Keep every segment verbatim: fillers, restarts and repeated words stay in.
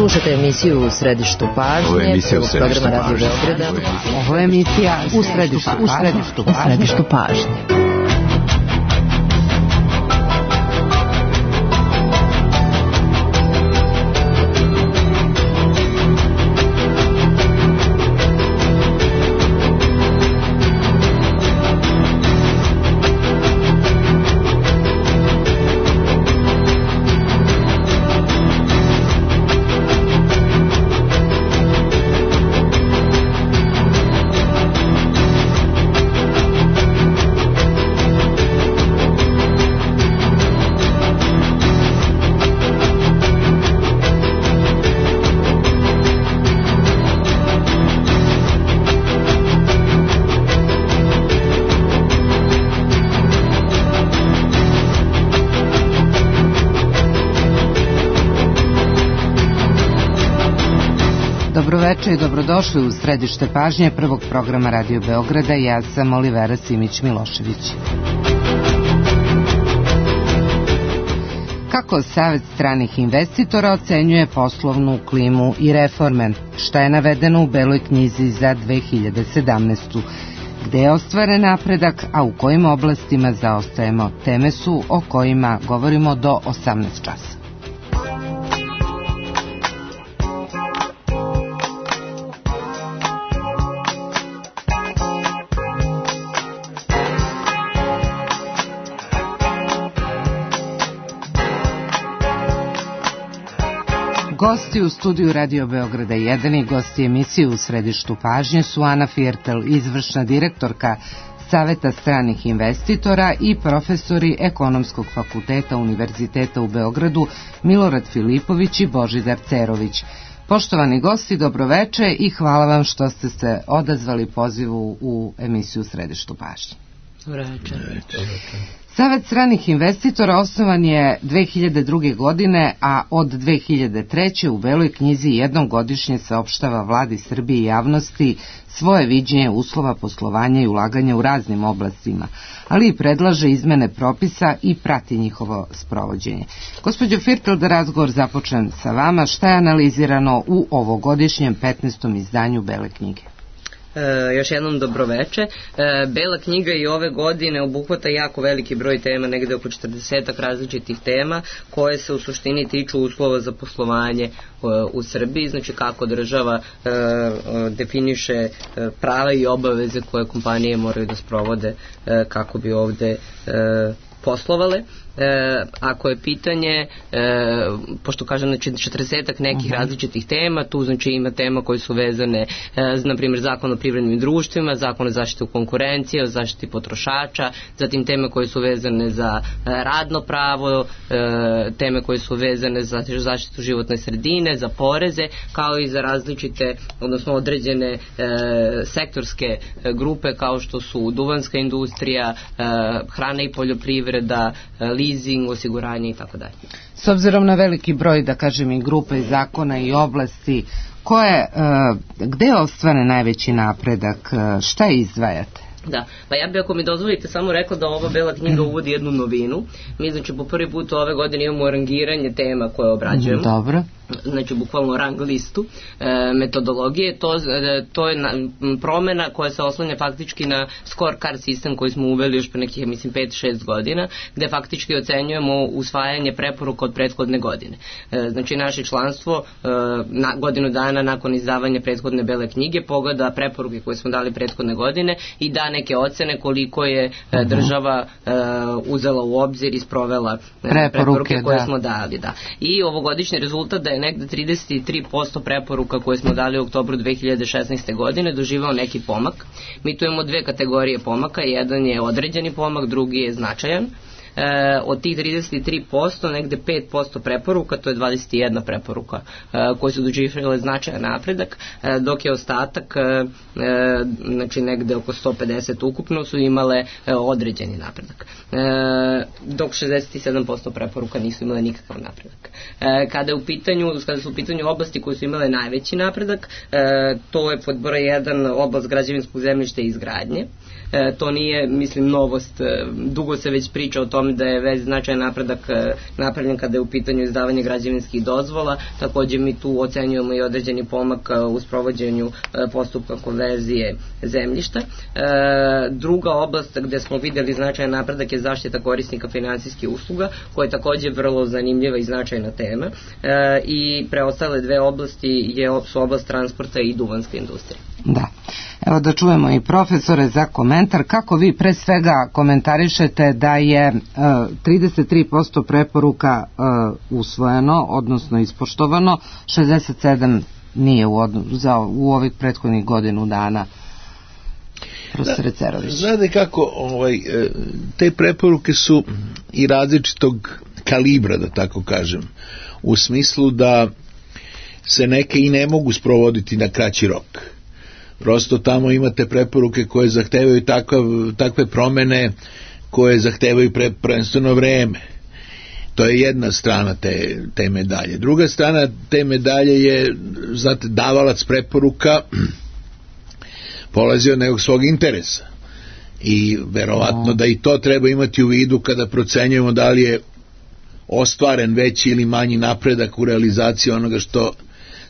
Slušajte emisiju U središtu pažnje. Ovo je emisija U središtu pažnje. Ovo je emisija U središtu pažnje. U središtu pažnje. Dobroveče i dobrodošli u središte pažnje prvog programa Radio Beograda. Ja sam Olivera Simić-Milošević. Kako Savet stranih investitora ocenjuje poslovnu klimu i reforme? Šta je navedeno u Beloj knjizi za dve hiljade sedamnaestu. Gde je ostvaren napredak, a u kojim oblastima zaostajemo? Teme su o kojima govorimo do osamnaest časa. Gosti u studiju Radio Beograda jedan i gosti emisije U središtu pažnje su Ana Firtel, izvršna direktorka Saveta stranih investitora, i profesori Ekonomskog fakulteta Univerziteta u Beogradu Milorad Filipović i Božidar Cerović. Poštovani gosti, dobroveče i hvala vam što ste se odazvali pozivu u emisiju U središtu pažnje. Dobroveče. Savet stranih investitora osnovan je dve hiljade druge. godine, a od dve hiljade treće. u Beloj knjizi jednom godišnje saopštava Vladi Srbije i javnosti svoje viđenje uslova poslovanja i ulaganja u raznim oblastima, ali i predlaže izmene propisa i prati njihovo sprovođenje. Gospođo Firtel, da razgovor započnem sa vama, šta je analizirano u ovogodišnjem petnaestom izdanju Bele knjige? E, još jednom dobroveče. E, Bela knjiga i ove godine obuhvata jako veliki broj tema, negde oko četrdesetak različitih tema koje se u suštini tiču uslova za poslovanje e, u Srbiji, znači kako država e, definiše e, prava i obaveze koje kompanije moraju da sprovode e, kako bi ovde e, poslovale. E, ako je pitanje, e, pošto kažem, znači četrdesetak nekih uh-huh. različitih tema, tu znači ima tema koje su vezane, e, na primjer zakon o privrednim društvima, zakon o zaštiti konkurencije, o zaštiti potrošača, zatim teme koje su vezane za e, radno pravo, e, teme koje su vezane za zaštitu životne sredine, za poreze, kao i za različite, odnosno određene e, sektorske grupe kao što su duvanska industrija, e, hrana i poljoprivreda, e, leasing, osiguranje i tako dalje. S obzirom na veliki broj, da kažem, i grupe, i zakona i oblasti, koje, gde je ostvaren najveći napredak, šta izdvajate? Da, pa ja bih, ako mi dozvolite, samo rekla da ova Bela knjiga uvodi jednu novinu. Mi, znači, po prvi put ove godine imamo rangiranje tema koje obrađujemo. Dobro. Znači, bukvalno rang listu e, metodologije. To, e, to je na, promena koja se oslanja faktički na scorecard sistem koji smo uveli još pre nekih, mislim, pet šest godina, gde faktički ocenjujemo usvajanje preporuka od prethodne godine. E, znači, naše članstvo e, na, godinu dana nakon izdavanja prethodne Bele knjige pogleda preporuke koje smo dali prethodne godine i da neke ocene koliko je e, država e, uzela u obzir i sprovela e, preporuke, preporuke koje da. smo dali. Da. I ovogodišnji rezultat da je negde trideset tri posto preporuka koje smo dali u oktobru dve hiljade šesnaeste. godine doživao neki pomak. Mi tu imamo dve kategorije pomaka, jedan je određeni pomak, drugi je značajan. E, od tih trideset tri posto negde pet posto preporuka, to je dvadeset jedna preporuka e, koje su doživjele značajan napredak, e, dok je ostatak e, e, znači negde oko sto pedeset ukupno su imale e, određeni napredak, e, dok šezdeset sedam posto preporuka nisu imale nikakav napredak. E, kada je u pitanju, kada su u pitanju oblasti koje su imale najveći napredak, e, to je pod broj jedan oblast građevinskog zemljišta i izgradnje. E, to nije, mislim, novost, e, dugo se već priča o tome tome da je već značajan napredak napravljen kada je u pitanju izdavanje građevinskih dozvola. Takođe mi tu ocenjujemo i određeni pomak u sprovođenju postupka konverzije zemljišta. Druga oblast gde smo videli značajan napredak je zaštita korisnika finansijskih usluga, koja je takođe vrlo zanimljiva i značajna tema. I preostale dve oblasti je, su oblast transporta i duvanska industrija. Da. Evo da čujemo i profesore za komentar. Kako vi pre svega komentarišete da je uh, trideset tri posto preporuka uh, usvojeno, odnosno ispoštovano, šezdeset sedam nije u, odno, za, u ovih prethodnih godinu dana? Profesore Cerović. Znate kako, ovaj, te preporuke su i različitog kalibra, da tako kažem, u smislu da se neke i ne mogu sprovoditi na kraći rok. Prosto tamo imate preporuke koje zahtevaju takav, takve promene koje zahtevaju pre, prvenstveno vreme. To je jedna strana te, te medalje. Druga strana te medalje je, znate, davalac preporuka polazi od nekog svog interesa. I verovatno da i to treba imati u vidu kada procenjujemo da li je ostvaren veći ili manji napredak u realizaciji onoga što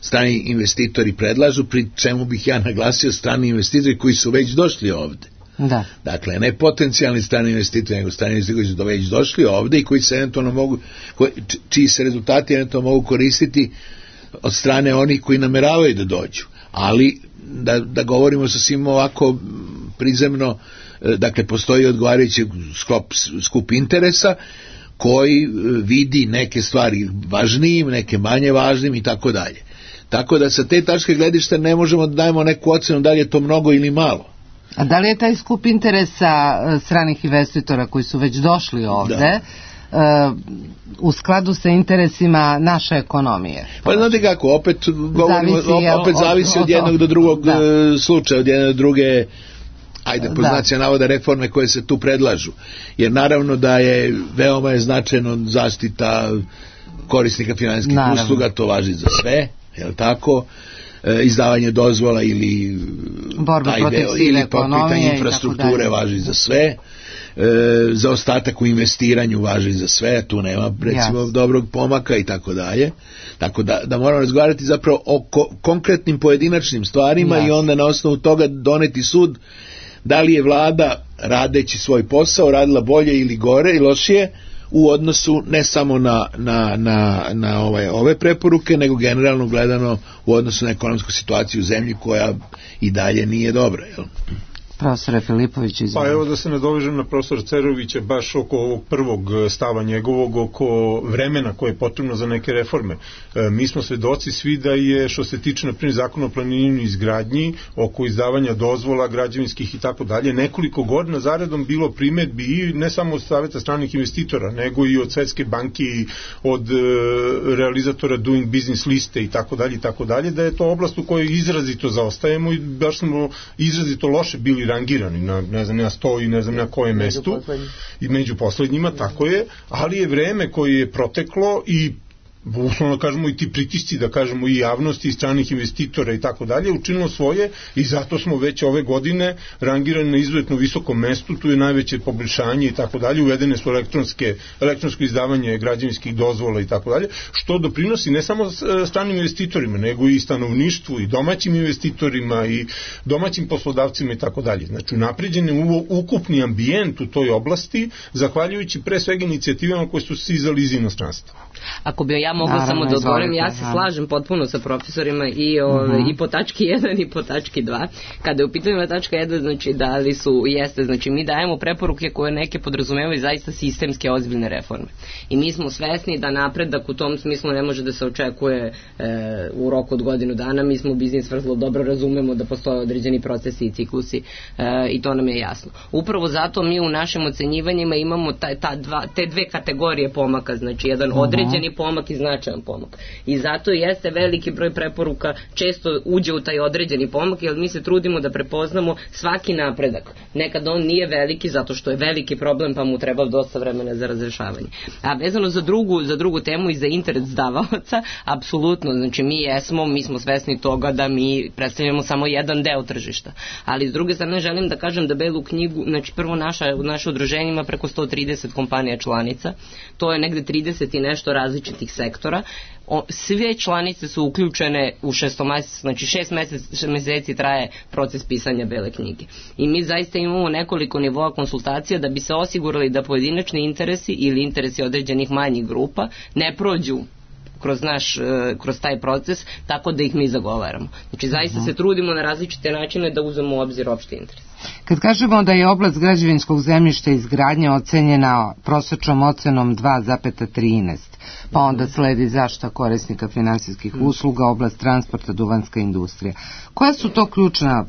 strani investitori predlažu, pri čemu bih ja naglasio strani investitori koji su već došli ovde. Da. Dakle, ne potencijalni strani investitori, nego strani investitori koji su već došli ovde i koji se eventualno mogu, koji, čiji se rezultati eventualno mogu koristiti od strane onih koji nameravaju da dođu. Ali, da, da govorimo sa svim ovako prizemno, dakle, postoji odgovarajući skup, skup interesa koji vidi neke stvari važnijim, neke manje važnim i tako dalje. Tako da sa te tačke gledišta ne možemo da dajemo neku ocenu da li je to mnogo ili malo. A da li je taj skup interesa stranih investitora koji su već došli ovde uh, u skladu sa interesima naše ekonomije? Pa znate kako, opet, govorimo, zavisi, opet zavisi od, od jednog do drugog da. slučaja, od jedne do druge, ajde, po znaci navoda, reforme koje se tu predlažu. Jer naravno da je veoma je značajno zaštita korisnika finansijskih usluga, to važi za sve, je li tako? E, izdavanje dozvola ili borba protiv sive ekonomije, infrastrukture važi za sve, e, za ostatak u investiranju važi za sve, tu nema recimo yes. dobrog pomaka i tako dalje. Tako da, da moramo razgovarati zapravo o ko, konkretnim pojedinačnim stvarima yes. i onda na osnovu toga doneti sud da li je vlada radeći svoj posao radila bolje ili gore i lošije u odnosu ne samo na, na, na, na ove, ove preporuke, nego generalno gledano u odnosu na ekonomsku situaciju u zemlji koja i dalje nije dobra. Jel? Profesore Filipović, izvolite. Pa evo da se nadovežem na profesora Cerovića baš oko ovog prvog stava njegovog, oko vremena koje je potrebno za neke reforme. E, mi smo svedoci svi da je, što se tiče na primjer zakona o planiranju i izgradnji, oko izdavanja dozvola građevinskih i tako dalje, nekoliko godina zaredom bilo primedbi i ne samo od saveta stranih investitora, nego i od Svetske banke i od e, realizatora Doing Business liste i tako dalje i tako dalje, da je to oblast u kojoj izrazito zaostajemo i baš smo izrazito loše bili rangirani na, ne znam, na sto i ne znam na kojem mestu i među poslednjima, tako je, ali je vreme koje je proteklo i uslovno kažemo i ti pritisci, da kažemo i javnosti i stranih investitora i tako dalje, učinilo svoje i zato smo već ove godine rangirani na izuzetno visokom mestu, tu je najveće poboljšanje i tako dalje, uvedene su elektronske, elektronsko izdavanje građevinskih dozvola i tako dalje, što doprinosi ne samo stranim investitorima, nego i stanovništvu i domaćim investitorima i domaćim poslodavcima i tako dalje. Znači, napređen je ukupni ambijent u toj oblasti, zahvaljujući pre svega inicijativama koje su stizali iz inostranstva. Ako bi ja mogla Naravno, samo da odgovorim, ja se slažem potpuno sa profesorima i, o, uh-huh. i po tački jedan i po tački dva. Kada je u pitanju tačka jedan, znači da li su, jeste, znači mi dajemo preporuke koje neke podrazumevaju zaista sistemske ozbiljne reforme. I mi smo svesni da napredak u tom smislu ne može da se očekuje e, u roku od godinu dana. Mi smo u biznis vrlo dobro razumemo da postoje određeni procesi i ciklusi e, i to nam je jasno. Upravo zato mi u našim ocenjivanjima imamo ta, ta dva, te dve kategorije pomaka, znači jedan uh-huh. određeni pomak iz značajan pomak. I zato jeste veliki broj preporuka često uđe u taj određeni pomak, jer mi se trudimo da prepoznamo svaki napredak. Nekad on nije veliki zato što je veliki problem pa mu treba dosta vremena za razrešavanje. A vezano za drugu, za drugu temu i za interes davalaca, apsolutno, znači mi jesmo, mi smo svesni toga da mi predstavljamo samo jedan deo tržišta. Ali s druge strane želim da kažem da Belu knjigu, znači prvo naša, naše udruženje ima preko sto trideset kompanija članica, to je negde trideset i nešto različitih sektora. O, sve članice su uključene u šestomesec, znači šest mesec, meseci traje proces pisanja Bele knjige. I mi zaista imamo nekoliko nivoa konsultacija da bi se osigurali da pojedinačni interesi ili interesi određenih manjih grupa ne prođu kroz naš, kroz taj proces, tako da ih mi zagovaramo. Znači zaista se trudimo na različite načine da uzmemo u obzir opšti interes. Kad kažemo da je oblast građevinskog zemljišta i izgradnje ocenjena prosečnom ocenom dva zarez trinaest, pa onda sledi zaštita korisnika finansijskih usluga, oblast transporta, duvanska industrija. Koja su to ključna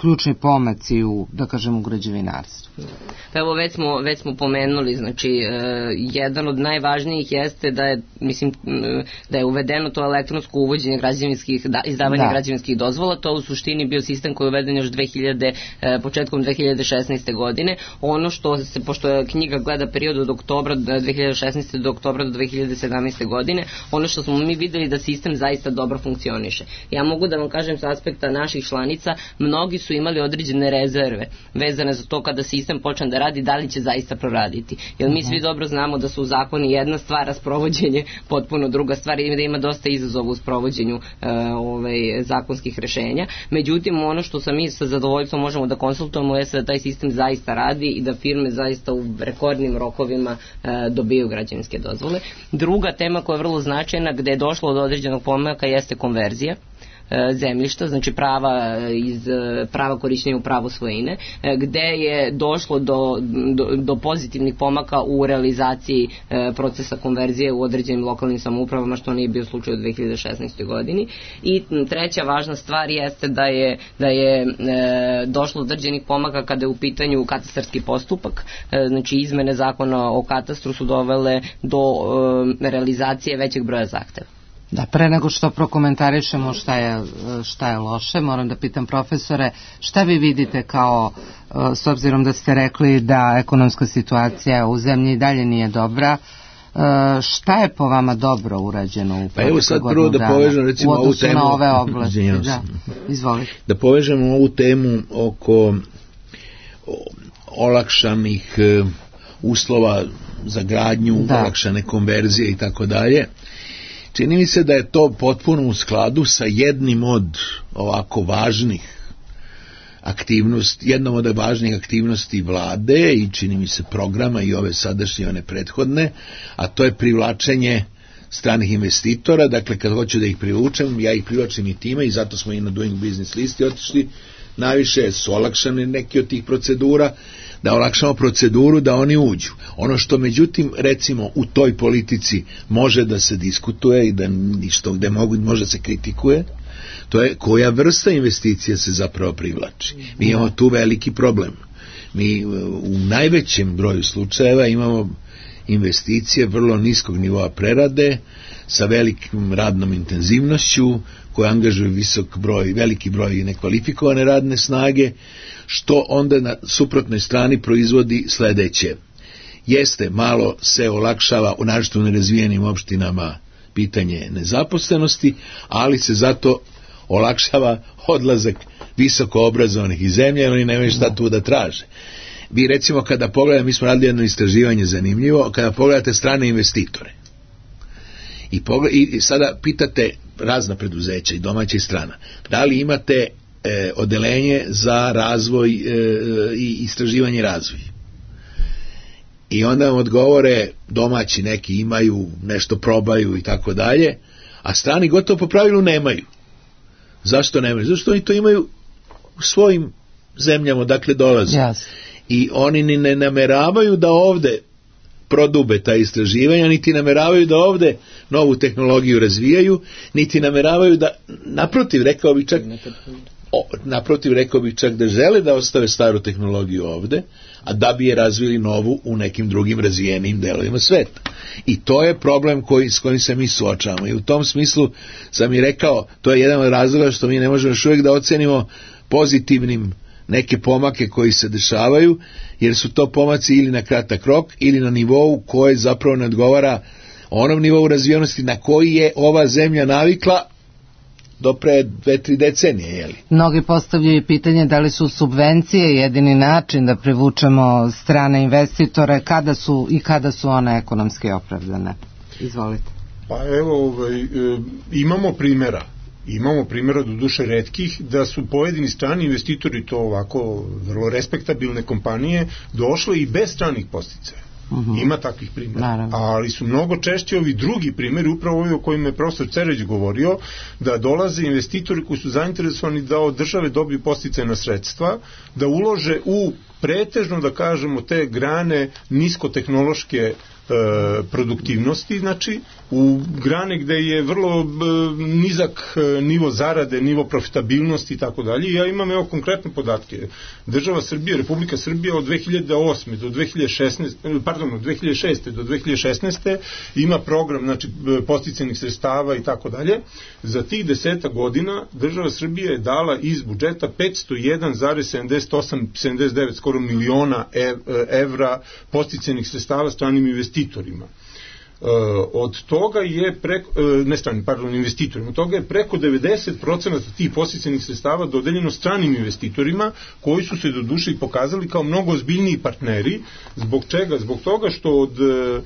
ključni pomaci u, da kažem, u građevinarstvu? Pa evo, već smo, već smo pomenuli, znači, e, jedan od najvažnijih jeste da je, mislim, da je uvedeno to elektronsko uvođenje građevinskih, da, izdavanje da. građevinskih dozvola, to u suštini bio sistem koji je uveden još dve hiljade, e, početkom dve hiljade šesnaeste. godine. Ono što se, pošto knjiga gleda period od oktobra dve hiljade šesnaeste. do oktobra do dve hiljade sedamnaeste. godine, ono što smo mi videli da sistem zaista dobro funkcioniše. Ja mogu da vam kažem s aspekta naših članica, mnogi su imali određene rezerve vezane za to kada sistem počne da radi, da li će zaista proraditi. Jer mi svi dobro znamo da su zakoni jedna stvar, a sprovođenje potpuno druga stvar i da ima dosta izazova u sprovođenju uh, ovaj, zakonskih rešenja. Međutim, ono što sa mi sa zadovoljstvom možemo da konsultujemo je da taj sistem zaista radi i da firme zaista u rekordnim rokovima uh, dobiju građevinske dozvole. Druga tema koja je vrlo značajna, gde je došlo do određenog pomaka, jeste konverzija zemljišta, znači prava iz prava korišćenja u pravo svojine, gde je došlo do, do, do pozitivnih pomaka u realizaciji e, procesa konverzije u određenim lokalnim samoupravama, što nije bio slučaj u dve hiljade šesnaestoj. godini. I treća važna stvar jeste da je, da je e, došlo do određenih pomaka kada je u pitanju katastarski postupak, e, znači izmene zakona o katastru su dovele do e, realizacije većeg broja zahteva. Da, pre nego što prokomentarišemo šta je, šta je loše, moram da pitam profesore, šta vi vidite kao, s obzirom da ste rekli da ekonomska situacija u zemlji i dalje nije dobra, šta je po vama dobro urađeno u pa evo sad prvo da povežem recimo ovu temu na ove oblasti? Da, izvolite. Da povežemo ovu temu oko olakšanih uslova za gradnju, da. olakšane konverzije i tako dalje. Čini mi se da je to potpuno u skladu sa jednim od ovako važnih aktivnosti, jednom od važnih aktivnosti vlade i čini mi se programa i ove sadašnje i one prethodne, a to je privlačenje stranih investitora. Dakle, kad hoću da ih privučem, ja ih privlačim i time i zato smo i na Doing Business listi otišli. Najviše su olakšane neke od tih procedura, da olakšamo proceduru da oni uđu. Ono što međutim recimo u toj politici može da se diskutuje i da što gde mogu, može se kritikuje, to je koja vrsta investicija se zapravo privlači. Mi imamo tu veliki problem. Mi u najvećem broju slučajeva imamo investicije vrlo niskog nivoa prerade sa velikim radnom intenzivnošću koje angažuju visok broj, veliki broj nekvalifikovane radne snage, što onda na suprotnoj strani proizvodi sledeće. Jeste, malo se olakšava u naročito nerazvijenim opštinama pitanje nezaposlenosti, ali se zato olakšava odlazak visoko obrazovanih iz zemlje, oni nemaju šta tu da traže. Vi recimo kada pogledate, mi smo radili jedno istraživanje zanimljivo, kada pogledate strane investitore i, pogled, i sada pitate razna preduzeća i domaća i strana, da li imate e, odelenje za razvoj e, i istraživanje i razvoj. I onda vam odgovore domaći neki imaju, nešto probaju i tako dalje, a strani gotovo po pravilu nemaju. Zašto nemaju? Zato što oni to imaju u svojim zemljama, dakle dolaze. Yes. I oni ni ne nameravaju da ovde prodube ta istraživanja, niti nameravaju da ovde novu tehnologiju razvijaju, niti nameravaju da, naprotiv, rekao bi čak, o, naprotiv, rekao bih čak da žele da ostave staru tehnologiju ovde, a da bi je razvili novu u nekim drugim razvijenim delovima sveta. I to je problem koji, s kojim se mi suočavamo. I u tom smislu sam i rekao, to je jedan od razloga što mi ne možemo još uvijek da ocenimo pozitivnim neke pomake koji se dešavaju, jer su to pomaci ili na kratak rok, ili na nivou koji zapravo ne odgovara onom nivou razvijenosti na koji je ova zemlja navikla do pre dve, tri decenije, jeli? Mnogi postavljaju pitanje da li su subvencije jedini način da privučemo strane investitore, kada su i kada su one ekonomski opravdane. Izvolite. Pa evo, ovaj, e, imamo primjera. Imamo primjera do duše retkih da su pojedini strani investitori, to ovako vrlo respektabilne kompanije, došle i bez stranih podsticaja. Uh-huh. Ima takvih primjera. Naravno. Ali su mnogo češće ovi drugi primjeri, upravo ovi o kojima je profesor Cereć govorio, da dolaze investitori koji su zainteresovani da od države dobiju podsticajna sredstva, da ulože u pretežno, da kažemo, te grane niskotehnološke produktivnosti, znači u grane gde je vrlo nizak nivo zarade, nivo profitabilnosti i tako dalje. Ja imam evo konkretne podatke. Država Srbije, Republika Srbija od dve hiljade osme do dve hiljade šesnaeste, pardon, od dve hiljade šeste do dve hiljade šesnaeste ima program, znači podsticajnih sredstava i tako dalje. Za tih deseta godina država Srbije je dala iz budžeta petsto jedan zarez sedamdeset osam sedamdeset devet skoro miliona evra podsticajnih sredstava stranim investitorima. Uh, od toga je preko, uh, ne stranim, pardon, investitorima, od toga je preko devedeset procenata tih podsticajnih sredstava dodeljeno stranim investitorima koji su se do duše i pokazali kao mnogo ozbiljniji partneri. Zbog čega? Zbog toga što od uh,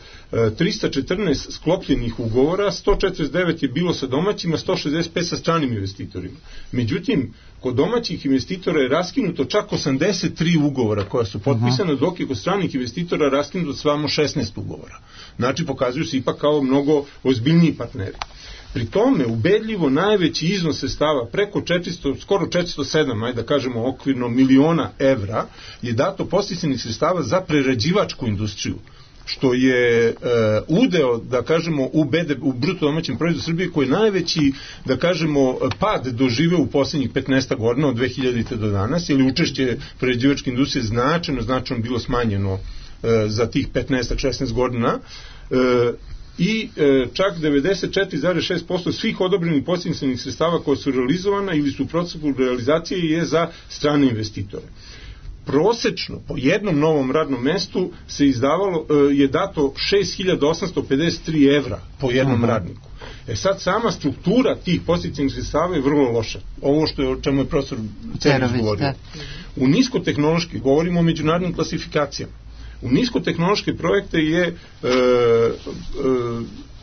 trista četrnaest sklopljenih ugovora, sto četrdeset devet je bilo sa domaćima, sto šezdeset pet sa stranim investitorima. Međutim, kod domaćih investitora je raskinuto čak osamdeset tri ugovora koja su potpisana, uh-huh. dok je kod stranih investitora raskinuto samo šesnaest ugovora. Znači, pokazuju se ipak kao mnogo ozbiljniji partneri. Pri tome, ubedljivo najveći iznos sredstava, preko četiristo, skoro četiristo sedam, ajde da kažemo okvirno, miliona evra, je dato podsticajnih sredstava za prerađivačku industriju, što je e, udeo, da kažemo, u, B D P, u bruto domaćem proizvodu Srbije, koji je najveći, da kažemo, pad doživeo u posljednjih petnaest godina od dve hiljadite do danas, jer učešće prerađivačke industrije značajno, značajno bilo smanjeno e, za tih petnaest šesnaest godina, e, i e, čak devedeset četiri zarez šest posto svih odobrenih podsticajnih sredstava koja su realizovana ili su u procesu realizacije je za strane investitore. Prosečno po jednom novom radnom mestu se izdavalo, je dato šest hiljada osamsto pedeset tri evra po jednom uh-huh. radniku. E sad sama struktura tih podsticajnih sredstava je vrlo loša. Ovo što je, o čemu je profesor Cerović govorio. U niskotehnološki, govorimo o međunarodnim klasifikacijama, u niskotehnološke projekte je e, e,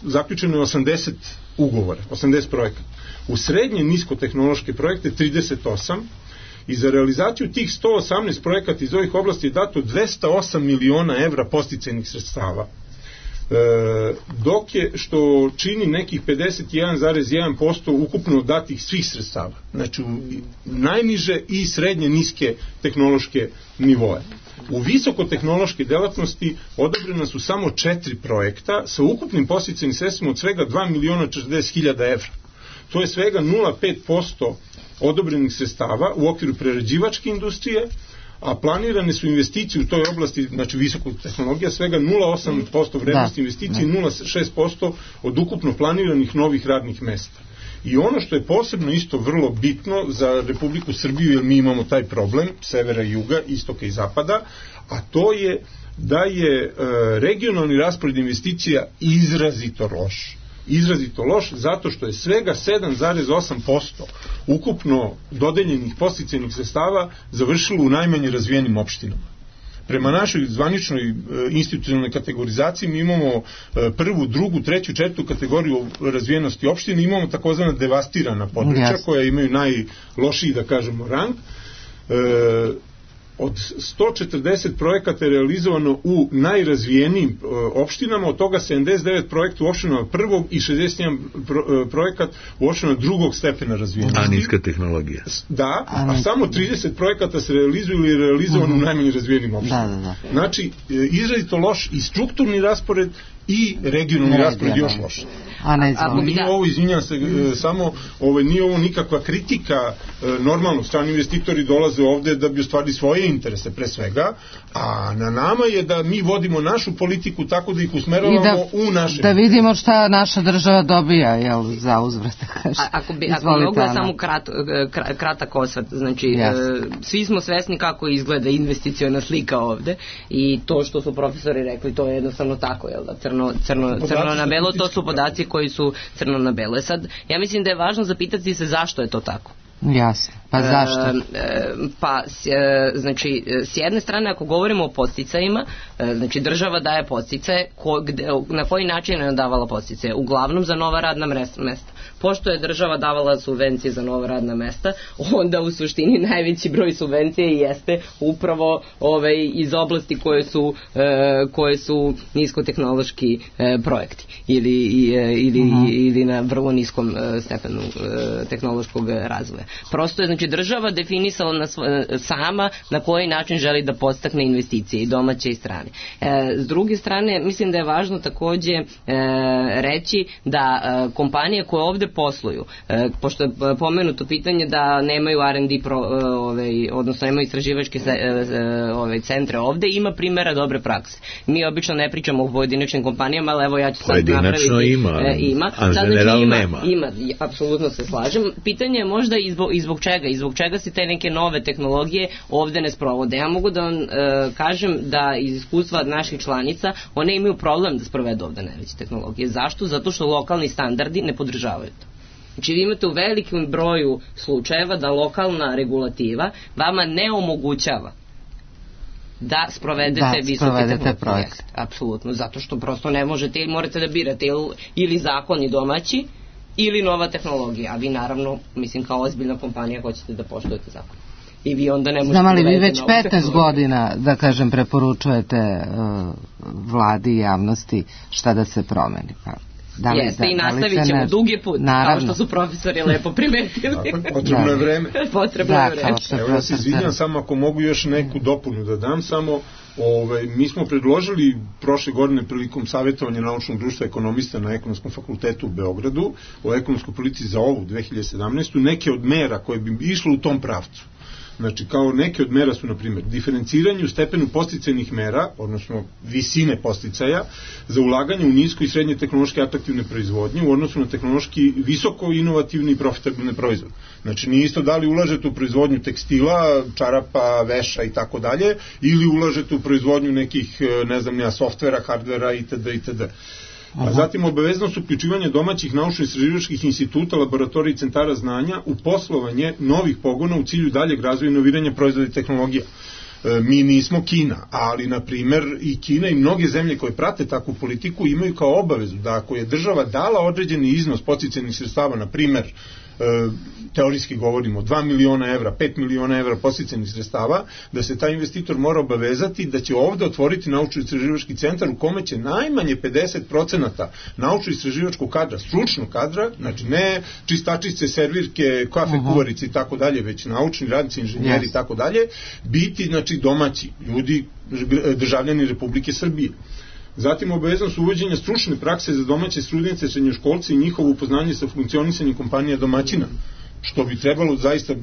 zaključeno osamdeset ugovora, osamdeset projekata. U srednje niskotehnološke projekte trideset osam, i za realizaciju tih sto osamnaest projekata iz ovih oblasti je dato dvesta osam miliona evra podsticajnih sredstava. E, dok je, što čini nekih pedeset jedan zarez jedan posto ukupno datih svih sredstava. Znači, u najniže i srednje niske tehnološke nivoje. U visokotehnološke delatnosti odobrena su samo četiri projekta sa ukupnim podsticajnim sredstvima od svega dva miliona četrdeset hiljada evra. To je svega nula zarez pet posto odobrenih sredstava u okviru prerađivačke industrije, a planirane su investicije u toj oblasti, znači visokog tehnologija, svega nula zarez osam posto vrednosti investicije i nula zarez šest posto od ukupno planiranih novih radnih mesta. I ono što je posebno isto vrlo bitno za Republiku Srbiju, jer mi imamo taj problem severa i juga, istoka i zapada, a to je da je e, regionalni raspored investicija izrazito loš. izrazito loš, zato što je svega sedam zarez osam posto ukupno dodeljenih podsticajnih sredstava završilo u najmanje razvijenim opštinama. Prema našoj zvaničnoj e, institucionalnoj kategorizaciji mi imamo e, prvu, drugu, treću, četvrtu kategoriju razvijenosti opštine, imamo takozvana devastirana područja, yes. koja imaju najlošiji, da kažemo, rang. E, od sto četrdeset projekata je realizovano u najrazvijenijim e, opštinama, od toga sedamdeset devet projekta u opštinama prvog i šezdeset jedan pro, e, projekat u opštinama drugog stepena razvijenosti. A niska tehnologija. Da, a, a samo trideset projekata se realizuju ili je realizovano uh-huh. u najmanje razvijenim opštinama. Da, da, da. Znači, e, izrazito loš i strukturni raspored i regionalni ne, raspored još loš. A ne znam. Nije ovo, izvinjam se, e, samo ovo, nije ovo nikakva kritika, e, normalno, strani investitori dolaze ovde da bi ostvarili svoje interese pre svega, a na nama je da mi vodimo našu politiku tako da ih usmeravamo da, u naše... Da vidimo šta naša država dobija, jel, za uzvrat. A, ako bi, ako bi mogla samo krat, kratak osvrt, znači, yes. e, svi smo svesni kako izgleda investiciona slika ovde i to što su profesori rekli, to je jednostavno tako, jel da, crno, crno, crno na belo, to su podaci koji su crno na belo. Sad, ja mislim da je važno zapitati se zašto je to tako. Jasno. Pa zašto? E, pa, e, znači, s jedne strane, ako govorimo o podsticajima, e, znači država daje podsticaje, ko, gde, na koji način je davala podsticaje? Uglavnom za nova radna mesta. Pošto je država davala subvencije za nova radna mesta, onda u suštini najveći broj subvencije jeste upravo ovaj, iz oblasti koje su, e, koje su niskotehnološki e, projekti ili, e, ili, uh-huh. ili na vrlo niskom e, stepenu e, tehnološkog razvoja. Prosto je, znači, država definisala na svo, sama na koji način želi da podstakne investicije i domaće i strane. E, s druge strane, mislim da je važno takođe e, reći da e, kompanije koje ovde posluju, e, pošto je pomenuto pitanje da nemaju R and D pro, e, ovaj, odnosno nemaju istraživačke se, e, ovaj, centre ovde, ima primjera dobre prakse. Mi obično ne pričamo o pojedinačnim kompanijama, ali evo ja ću sad napraviti. Pojedinačno ima, e, ima. a sad, general znači, ima, nema. Ima, apsolutno se slažem. Pitanje je možda i zbog, i zbog čega, i zbog čega se te neke nove tehnologije ovde ne sprovode. Ja mogu da vam e, kažem da iz iskustva naših članica one imaju problem da sprovedu ovde najveće tehnologije. Zašto? Zato što lokalni standardi ne podržavaju to. Znači vi imate u velikom broju slučajeva da lokalna regulativa vama ne omogućava da sprovedete da, visoke tehnologije. Apsolutno, zato što prosto ne možete ili morate da birate ili, ili zakoni domaći ili nova tehnologija, a vi naravno, mislim kao ozbiljna kompanija hoćete da poštujete zakon. I vi onda ne možete... Znam, ali vi već petnaest godina, da kažem, preporučujete uh, vladi i javnosti šta da se promeni, pa... Da li, Jeste, da, i nastavit ćemo ne... dugi put, naravno. Kao što su profesori lepo primetili. Potrebno je vreme. Potrebno da, je vreme. Evo ja se izvinjam samo ako mogu još neku dopunu da dam, samo ove, mi smo predložili prošle godine prilikom savjetovanja naučnog društva ekonomista na Ekonomskom fakultetu u Beogradu o ekonomskoj politici za ovu dve hiljade sedamnaestu neke od mera koje bi išle u tom pravcu. Znači, kao neke od mera su, na primjer, diferenciranje u stepenu podsticajnih mera, odnosno visine podsticaja, za ulaganje u nisko i srednje tehnološke atraktivne proizvodnje u odnosu na tehnološki visoko inovativni i profitabilne proizvode. Znači, nije isto da li ulažete u proizvodnju tekstila, čarapa, veša i tako dalje, ili ulažete u proizvodnju nekih, ne znam, nija, softvera, hardvera itd. itd. A zatim obaveznost uključivanja domaćih naučno-istraživačkih instituta, laboratorija i centara znanja u poslovanje novih pogona u cilju daljeg razvoja i inoviranja proizvoda i tehnologija. E, mi nismo Kina, ali na primer i Kina i mnoge zemlje koje prate takvu politiku imaju kao obavezu da ako je država dala određeni iznos podsticajnih sredstava, na primer teorijski govorimo dva miliona evra, pet miliona evra podsticajnih sredstava, da se taj investitor mora obavezati da će ovde otvoriti naučno-istraživački centar u kome će najmanje pedeset procenata naučno-istraživačkog kadra, stručnog kadra, znači ne čistačice, servirke, kafe, uh-huh. kuvarice i tako dalje, već naučni radnici, inženjeri i yes. tako dalje, biti znači domaći ljudi, državljani Republike Srbije. Zatim obaveznost uvođenja stručne prakse za domaće studente, srednjoškolce i njihovo upoznanje sa funkcionisanjem kompanija domaćina, što bi trebalo zaista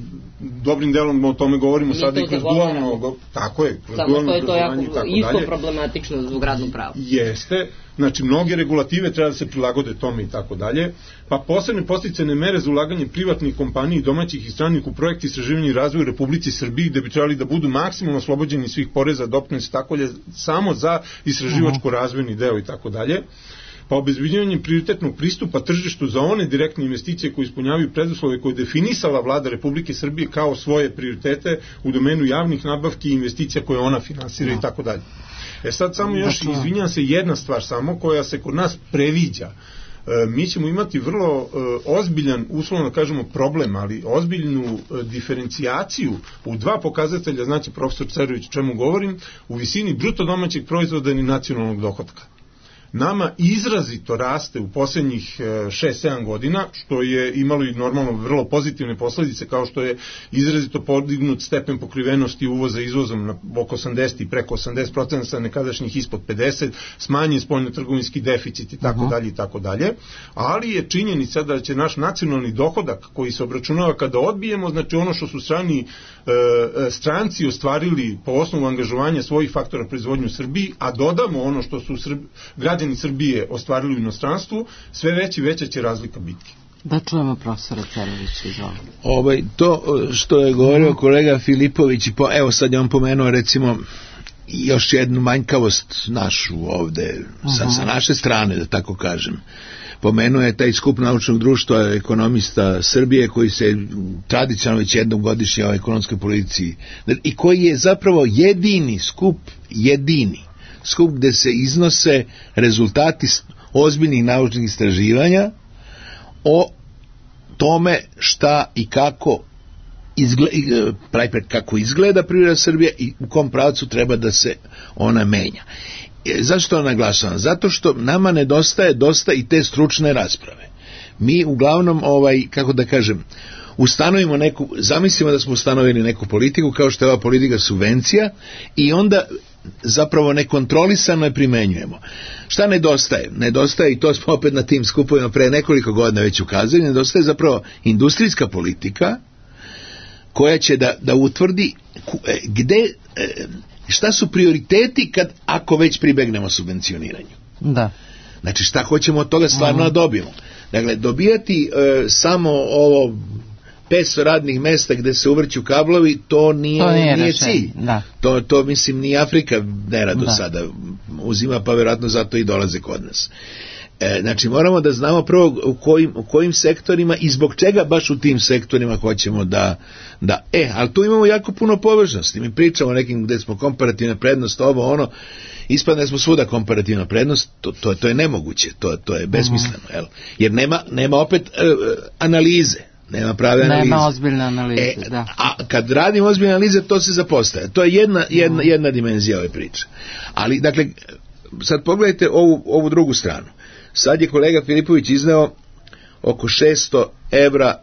dobrim delom o tome govorimo mi sada i kroz dualno, tako je, kroz dualno obrazovanje i tako dalje. Isto problematično zbog radnog prava. Jeste, znači mnoge regulative treba da se prilagode tome i tako dalje, pa posebne podsticajne mere za ulaganje privatnih kompanija i domaćih i stranih u projekti istraživanja i razvoja u Republici Srbiji, gde bi trebali da budu maksimum oslobođeni svih poreza, doprinosa i tako dalje, samo za istraživačko-razvojni deo i tako dalje. Pa obezbeđivanje prioritetnog pristupa tržištu za one direktne investicije koje ispunjavaju preduslove koje je definisala vlada Republike Srbije kao svoje prioritete u domenu javnih nabavki i investicija koje ona finansira i tako dalje. E sad samo još, izvinjam se, jedna stvar samo koja se kod nas previđa. mi ćemo imati vrlo ozbiljan, uslovno kažemo problem, ali ozbiljnu diferencijaciju u dva pokazatelja, znači profesor Cerović o čemu govorim, u visini bruto domaćeg proizvoda i nacionalnog dohotka. Nama izrazito raste u posljednjih šest sedam godina, što je imalo i normalno vrlo pozitivne posljedice, kao što je izrazito podignut stepen pokrivenosti uvoza izvozom na oko osamdeset i preko osamdeset procenta sa nekadašnjih ispod pedeset, smanjen spoljnotrgovinski deficit i tako dalje i tako dalje, ali je činjenica da će naš nacionalni dohodak koji se obračunava kada odbijemo, znači ono što su strani e, stranci ostvarili po osnovu angažovanja svojih faktora proizvodnje u Srbiji, a dodamo ono što su Srb, građani Srbije ostvarili u inostranstvu, sve veći veća će razlika biti. Da čujemo profesora Cerovića, izvolite. Ovaj, to što je govorio kolega Filipović, i po, evo sad je on pomenuo recimo još jednu manjkavost našu ovde, sa, sa naše strane, da tako kažem. Pomenuo je taj skup naučnog društva ekonomista Srbije koji se tradicionalno već jednom godišnje o ekonomskoj politici i koji je zapravo jedini skup, jedini skup gde se iznose rezultati ozbiljnih naučnih istraživanja o tome šta i kako izgleda, kako izgleda privreda Srbije i u kom pravcu treba da se ona menja. Zašto to naglašavam? Zato što nama nedostaje dosta i te stručne rasprave. Mi uglavnom, ovaj, kako da kažem, ustanovimo neku, zamislimo da smo ustanovili neku politiku kao što je ova politika subvencija i onda zapravo nekontrolisano je primenjujemo. Šta nedostaje? Nedostaje, i to smo opet na tim skupovima pre nekoliko godina već ukazali, nedostaje zapravo industrijska politika koja će da, da utvrdi gde, šta su prioriteti kad, ako već pribegnemo subvencioniranju. Da. Znači šta hoćemo od toga stvarno da dobijemo. Dakle, dobijati e, samo ovo petsto radnih mesta gde se uvrću kablovi, to nije, to nije, nije cilj. Da. To, to mislim ni Afrika ne rado da. sada uzima, pa vjerojatno zato i dolaze kod nas. E, znači moramo da znamo prvo u kojim, u kojim sektorima i zbog čega baš u tim sektorima hoćemo da, da e, ali tu imamo jako puno površnosti. Mi pričamo o nekim gde smo komparativna prednost, ovo ono, ispadne smo svuda komparativna prednost, to, to, to je nemoguće, to, to je besmisleno, jel? Jer nema, nema opet e, analize. Nema prave analize. Nema ozbiljne analize, e, da. A kad radimo ozbiljne analize, to se zapostaje. To je jedna, jedna, jedna dimenzija ove priče. Ali, dakle, sad pogledajte ovu, ovu drugu stranu. Sad je kolega Filipović izneo oko šesto evra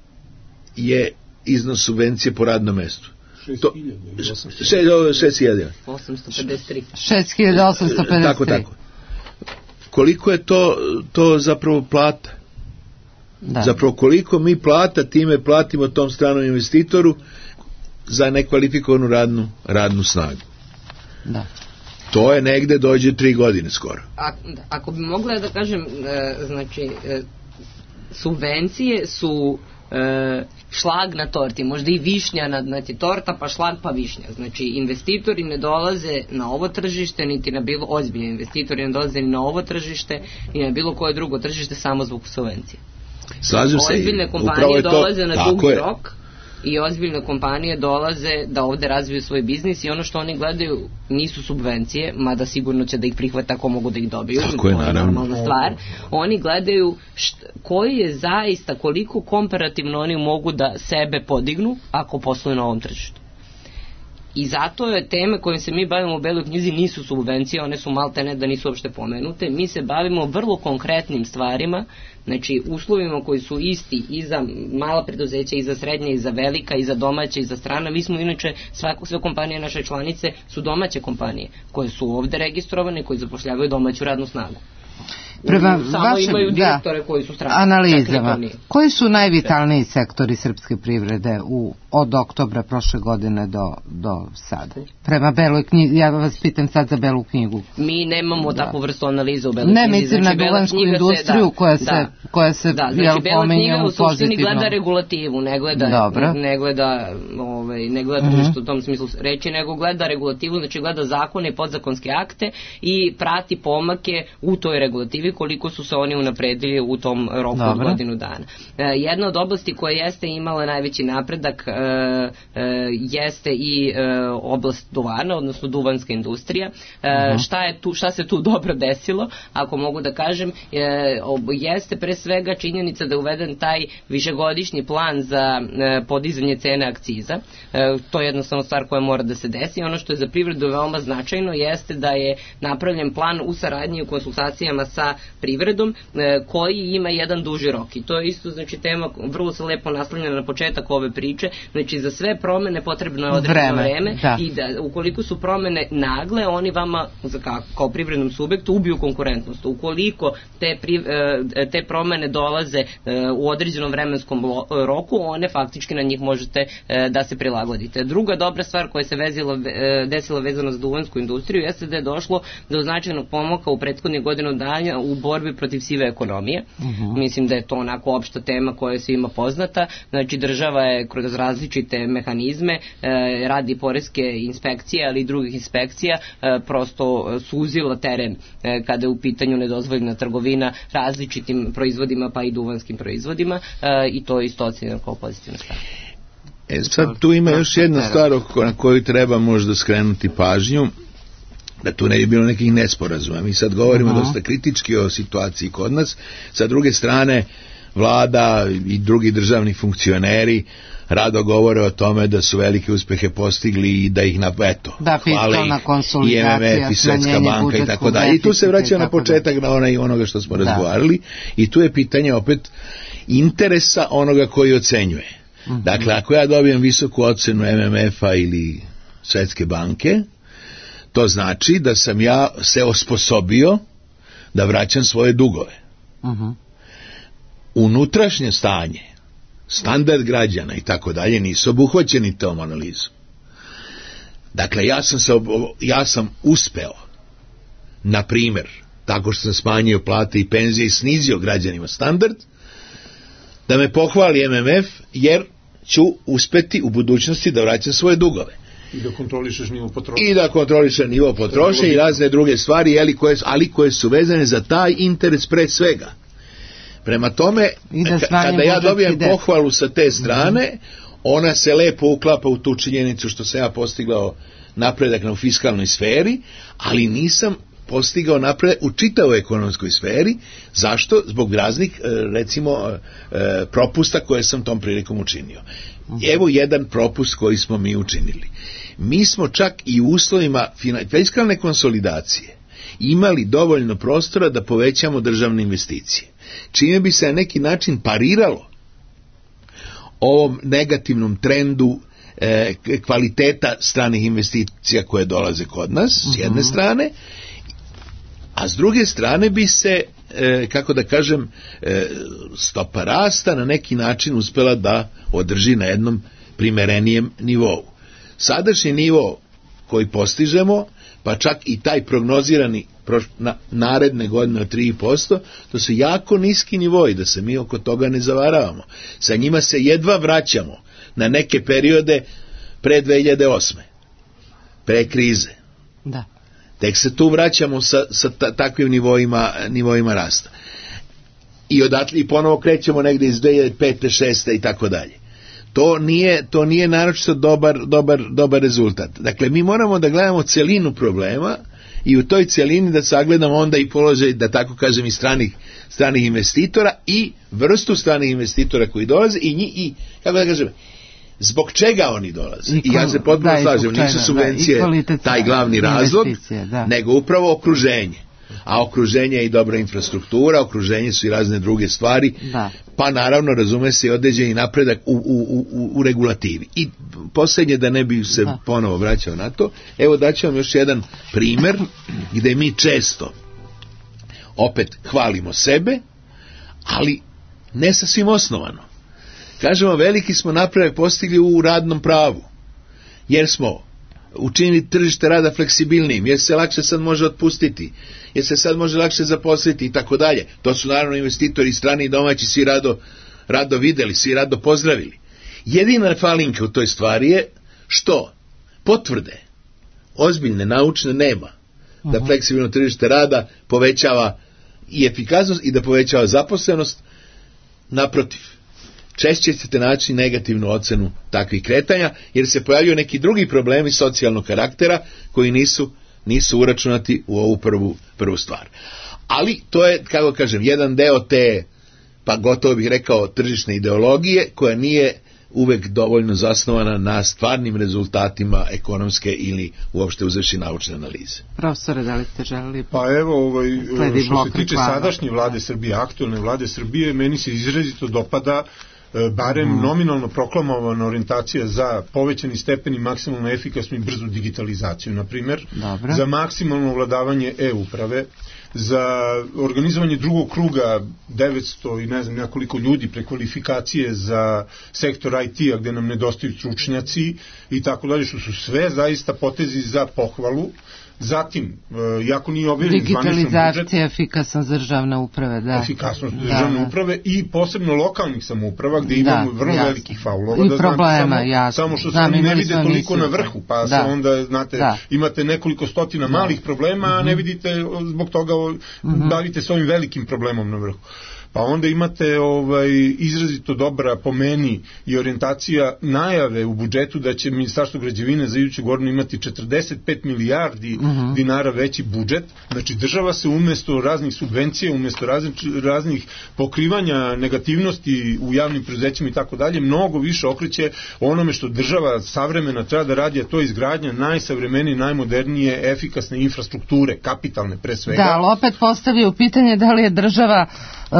je iznos subvencije po radnom mestu. šest hiljada osamsto pedeset tri šest hiljada osamsto pedeset tri Tako, tako. Koliko je to, to zapravo plata? Da. Zapravo koliko mi plata time platimo tom stranom investitoru za nekvalifikovanu radnu, radnu snagu. Da. To je negde dođe tri godine skoro. A, ako bi mogla da kažem, e, znači e, subvencije su e, šlag na torti, možda i višnja na, znači torta pa šlag pa višnja. Znači investitori ne dolaze na ovo tržište, niti na bilo, ozbiljni investitori ne dolaze ni na ovo tržište, ni na bilo koje drugo tržište samo zbog subvencije. Slažem se. Ozbiljne kompanije dolaze na dugi rok i ozbiljne kompanije dolaze da ovde razviju svoj biznis i ono što oni gledaju nisu subvencije, mada sigurno će da ih prihvate ako mogu da ih dobiju, to je normalna stvar. Oni gledaju št, koji je zaista, koliko komparativno oni mogu da sebe podignu ako posluju na ovom tržištu. I zato je teme kojim se mi bavimo u Beloj knjizi nisu subvencije, one su maltene da nisu uopšte pomenute. Mi se bavimo vrlo konkretnim stvarima, znači uslovima koji su isti i za mala preduzeća, i za srednje, i za velika, i za domaće, i za strana. Mi smo inače, svako, sve kompanije naše članice su domaće kompanije koje su ovde registrovane, koji zapošljavaju domaću radnu snagu. Prema samo vašem, imaju direktore da, koji su strani. Analizama. Koji su najvitalniji sektori srpske privrede u, od oktobra prošle godine do, do sada? Prema Beloj knjizi, ja vas pitam sad za Belu knjigu. Mi nemamo da. takvu vrstu analize u Beloj ne, knjizi. Ne, mislim znači, na duvansku industriju se, koja se, da, koja se da, znači, jel, pomenje u pozitivnom. U suštini gleda regulativu, ne gleda, ne gleda, ovaj, ne gleda tržište uh-huh. u tom smislu reći, nego gleda regulativu, znači gleda zakone i podzakonske akte i prati pomake u toj regulativi. perspektivi koliko su se oni unapredili u tom roku od godinu dana. Jedna od oblasti koja jeste imala najveći napredak jeste i oblast duvana, odnosno duvanska industrija. Šta je tu, šta se tu dobro desilo, ako mogu da kažem, jeste pre svega činjenica da je uveden taj višegodišnji plan za podizanje cene akciza. To je jednostavno stvar koja mora da se desi. Ono što je za privredu veoma značajno jeste da je napravljen plan u saradnji i u konsultacijama sa privredom koji ima jedan duži rok. I to je isto, znači, tema vrlo se lepo naslanja na početak ove priče. Znači, za sve promene potrebno je određeno vreme da. I da ukoliko su promene nagle, oni vama kao, kao privrednom subjektu ubiju konkurentnost. Ukoliko te, pri, te promene dolaze u određenom vremenskom roku, one faktički na njih možete da se prilagodite. Druga dobra stvar koja se vezila, desila vezano za duvansku industriju jeste da je došlo do značajnog pomoka u prethodnih godinu dana u borbi protiv sive ekonomije. Uh-huh. Mislim da je to onako opšta tema koja je svima poznata. Znači, država je kroz različite mehanizme, e, radi poreske inspekcije, ali i drugih inspekcija, e, prosto suzila teren e, kada je u pitanju nedozvoljena trgovina različitim proizvodima, pa i duvanskim proizvodima, e, i to je isto ocenjeno kao pozitivna stvar. E, sad tu ima još jedna stvar na koju treba možda skrenuti pažnju, da tu ne bi bilo nekih nesporazuma. Mi sad govorimo uh-huh. dosta kritički o situaciji kod nas. Sa druge strane, vlada i drugi državni funkcioneri rado govore o tome da su velike uspehe postigli i da ih na, eto, da, hvale i M M F i Svetska banka i tako dalje. I tu se vraća na početak na onaj onoga što smo da. razgovarali i tu je pitanje opet interesa onoga koji ocenjuje. Uh-huh. Dakle, ako ja dobijem visoku ocenu M M F-a ili Svetske banke, to znači da sam ja se osposobio da vraćam svoje dugove. Uh-huh. Unutrašnje stanje, standard građana i tako dalje nisu obuhvaćeni tom analizom. Dakle, ja sam, se, ja sam uspeo, na primjer, tako što sam smanjio plate i penzije i snizio građanima standard, da me pohvali M M F, jer ću uspeti u budućnosti da vraćam svoje dugove. I da kontrolišeš nivo potrošnje. I da kontrolišeš nivo potrošnje i razne druge stvari, ali koje, ali koje su vezane za taj interes pre svega. Prema tome, kada ja dobijem pohvalu sa te strane, mm-hmm. ona se lepo uklapa u tu činjenicu što sam ja postigao napredak na fiskalnoj sferi, ali nisam postigao napredak u čitavoj ekonomskoj sferi. Zašto? Zbog raznih, recimo, propusta koje sam tom prilikom učinio. Evo jedan propust koji smo mi učinili. Mi smo čak i u uslovima fiskalne konsolidacije imali dovoljno prostora da povećamo državne investicije, čime bi se na neki način pariralo ovom negativnom trendu e, kvaliteta stranih investicija koje dolaze kod nas, s jedne strane, a s druge strane bi se, e, kako da kažem, e, stopa rasta na neki način uspela da održi na jednom primerenijem nivou. Sadašnji nivo koji postižemo, pa čak i taj prognozirani na naredne godine od tri posto, to su jako niski nivoi, da se mi oko toga ne zavaravamo. Sa njima se jedva vraćamo na neke periode pre dve hiljade osme, pre krize. Da. Tek se tu vraćamo sa, sa ta, takvim nivoima, nivoima rasta. I odatle i ponovo krećemo negdje iz dve hiljade pete, šeste i tako dalje. To nije, to nije naročito dobar, dobar, dobar rezultat. Dakle, mi moramo da gledamo celinu problema i u toj celini da sagledamo onda i položaj, da tako kažem, i stranih, stranih investitora i vrstu stranih investitora koji dolaze i, nji, i kako da kažem, zbog čega oni dolaze. I, I ja se potpuno slažem, nisu subvencije da, taj glavni razlog, da. nego upravo okruženje. A okruženje je i dobra infrastruktura, okruženje su i razne druge stvari, da. pa naravno razume se i određeni napredak u, u, u, u regulativi. I posljednje, da ne bi se da. ponovo vraćao na to, evo daću vam još jedan primer gde mi često opet hvalimo sebe, ali ne sasvim osnovano. Kažemo, veliki smo napredak postigli u radnom pravu, jer smo učinili tržište rada fleksibilnijim, jer se lakše sad može otpustiti, jer se sad može lakše zaposliti i tako dalje. To su naravno investitori strani i domaći svi rado, rado videli, svi rado pozdravili. Jedina falinka u toj stvari je što potvrde ozbiljne, naučne nema, da fleksibilno tržište rada povećava i efikasnost i da povećava zaposlenost. Naprotiv, češće ćete naći negativnu ocenu takvih kretanja, jer se pojavljaju neki drugi problemi socijalnog karaktera koji nisu, nisu uračunati u ovu prvu, prvu stvar. Ali to je, kako kažem, jedan deo te, pa gotovo bih rekao, tržišne ideologije koja nije uvek dovoljno zasnovana na stvarnim rezultatima ekonomske ili uopšte uzevši naučne analize. Profesore, da li ste želeli? Pa evo, ovaj, što se tiče sadašnje vlade Srbije, aktualne vlade Srbije, meni se izrazito dopada barem mm. nominalno proklamovana orijentacija za povećani stepen i maksimalno efikasnu i brzu digitalizaciju, na primjer, za maksimalno ovladavanje e-uprave, za organizovanje drugog kruga devetsto i ne znam nekoliko ljudi prekvalifikacije za sektor I T-a gde nam nedostaju stručnjaci i tako dalje, što su sve zaista potezi za pohvalu. Zatim, jako nije objavljen zvaničan budžet. Digitalizacija, efikasnost državne uprave, da. Efikasnost državne da, uprave i posebno lokalnih samouprava gde imamo da, vrlo jasno. velikih faulova. I da problema, samo, jasno. Samo što se oni ne vide toliko na vrhu, pa da. se onda, znate, da. imate nekoliko stotina da. malih problema, a ne vidite zbog toga, mm-hmm. bavite s ovim velikim problemom na vrhu. Pa onda imate ovaj, izrazito dobra po meni i orijentacija najave u budžetu da će Ministarstvo građevine za iduću godinu imati četrdeset pet milijardi uh-huh. dinara veći budžet. Znači država se umjesto raznih subvencija, umjesto raznih, raznih pokrivanja negativnosti u javnim preduzećima i tako dalje, mnogo više okreće onome što država savremena treba da radi, a to je izgradnja najsavremenije, najmodernije, efikasne infrastrukture, kapitalne pre svega. Da, ali opet postavio pitanje da li je država Uh,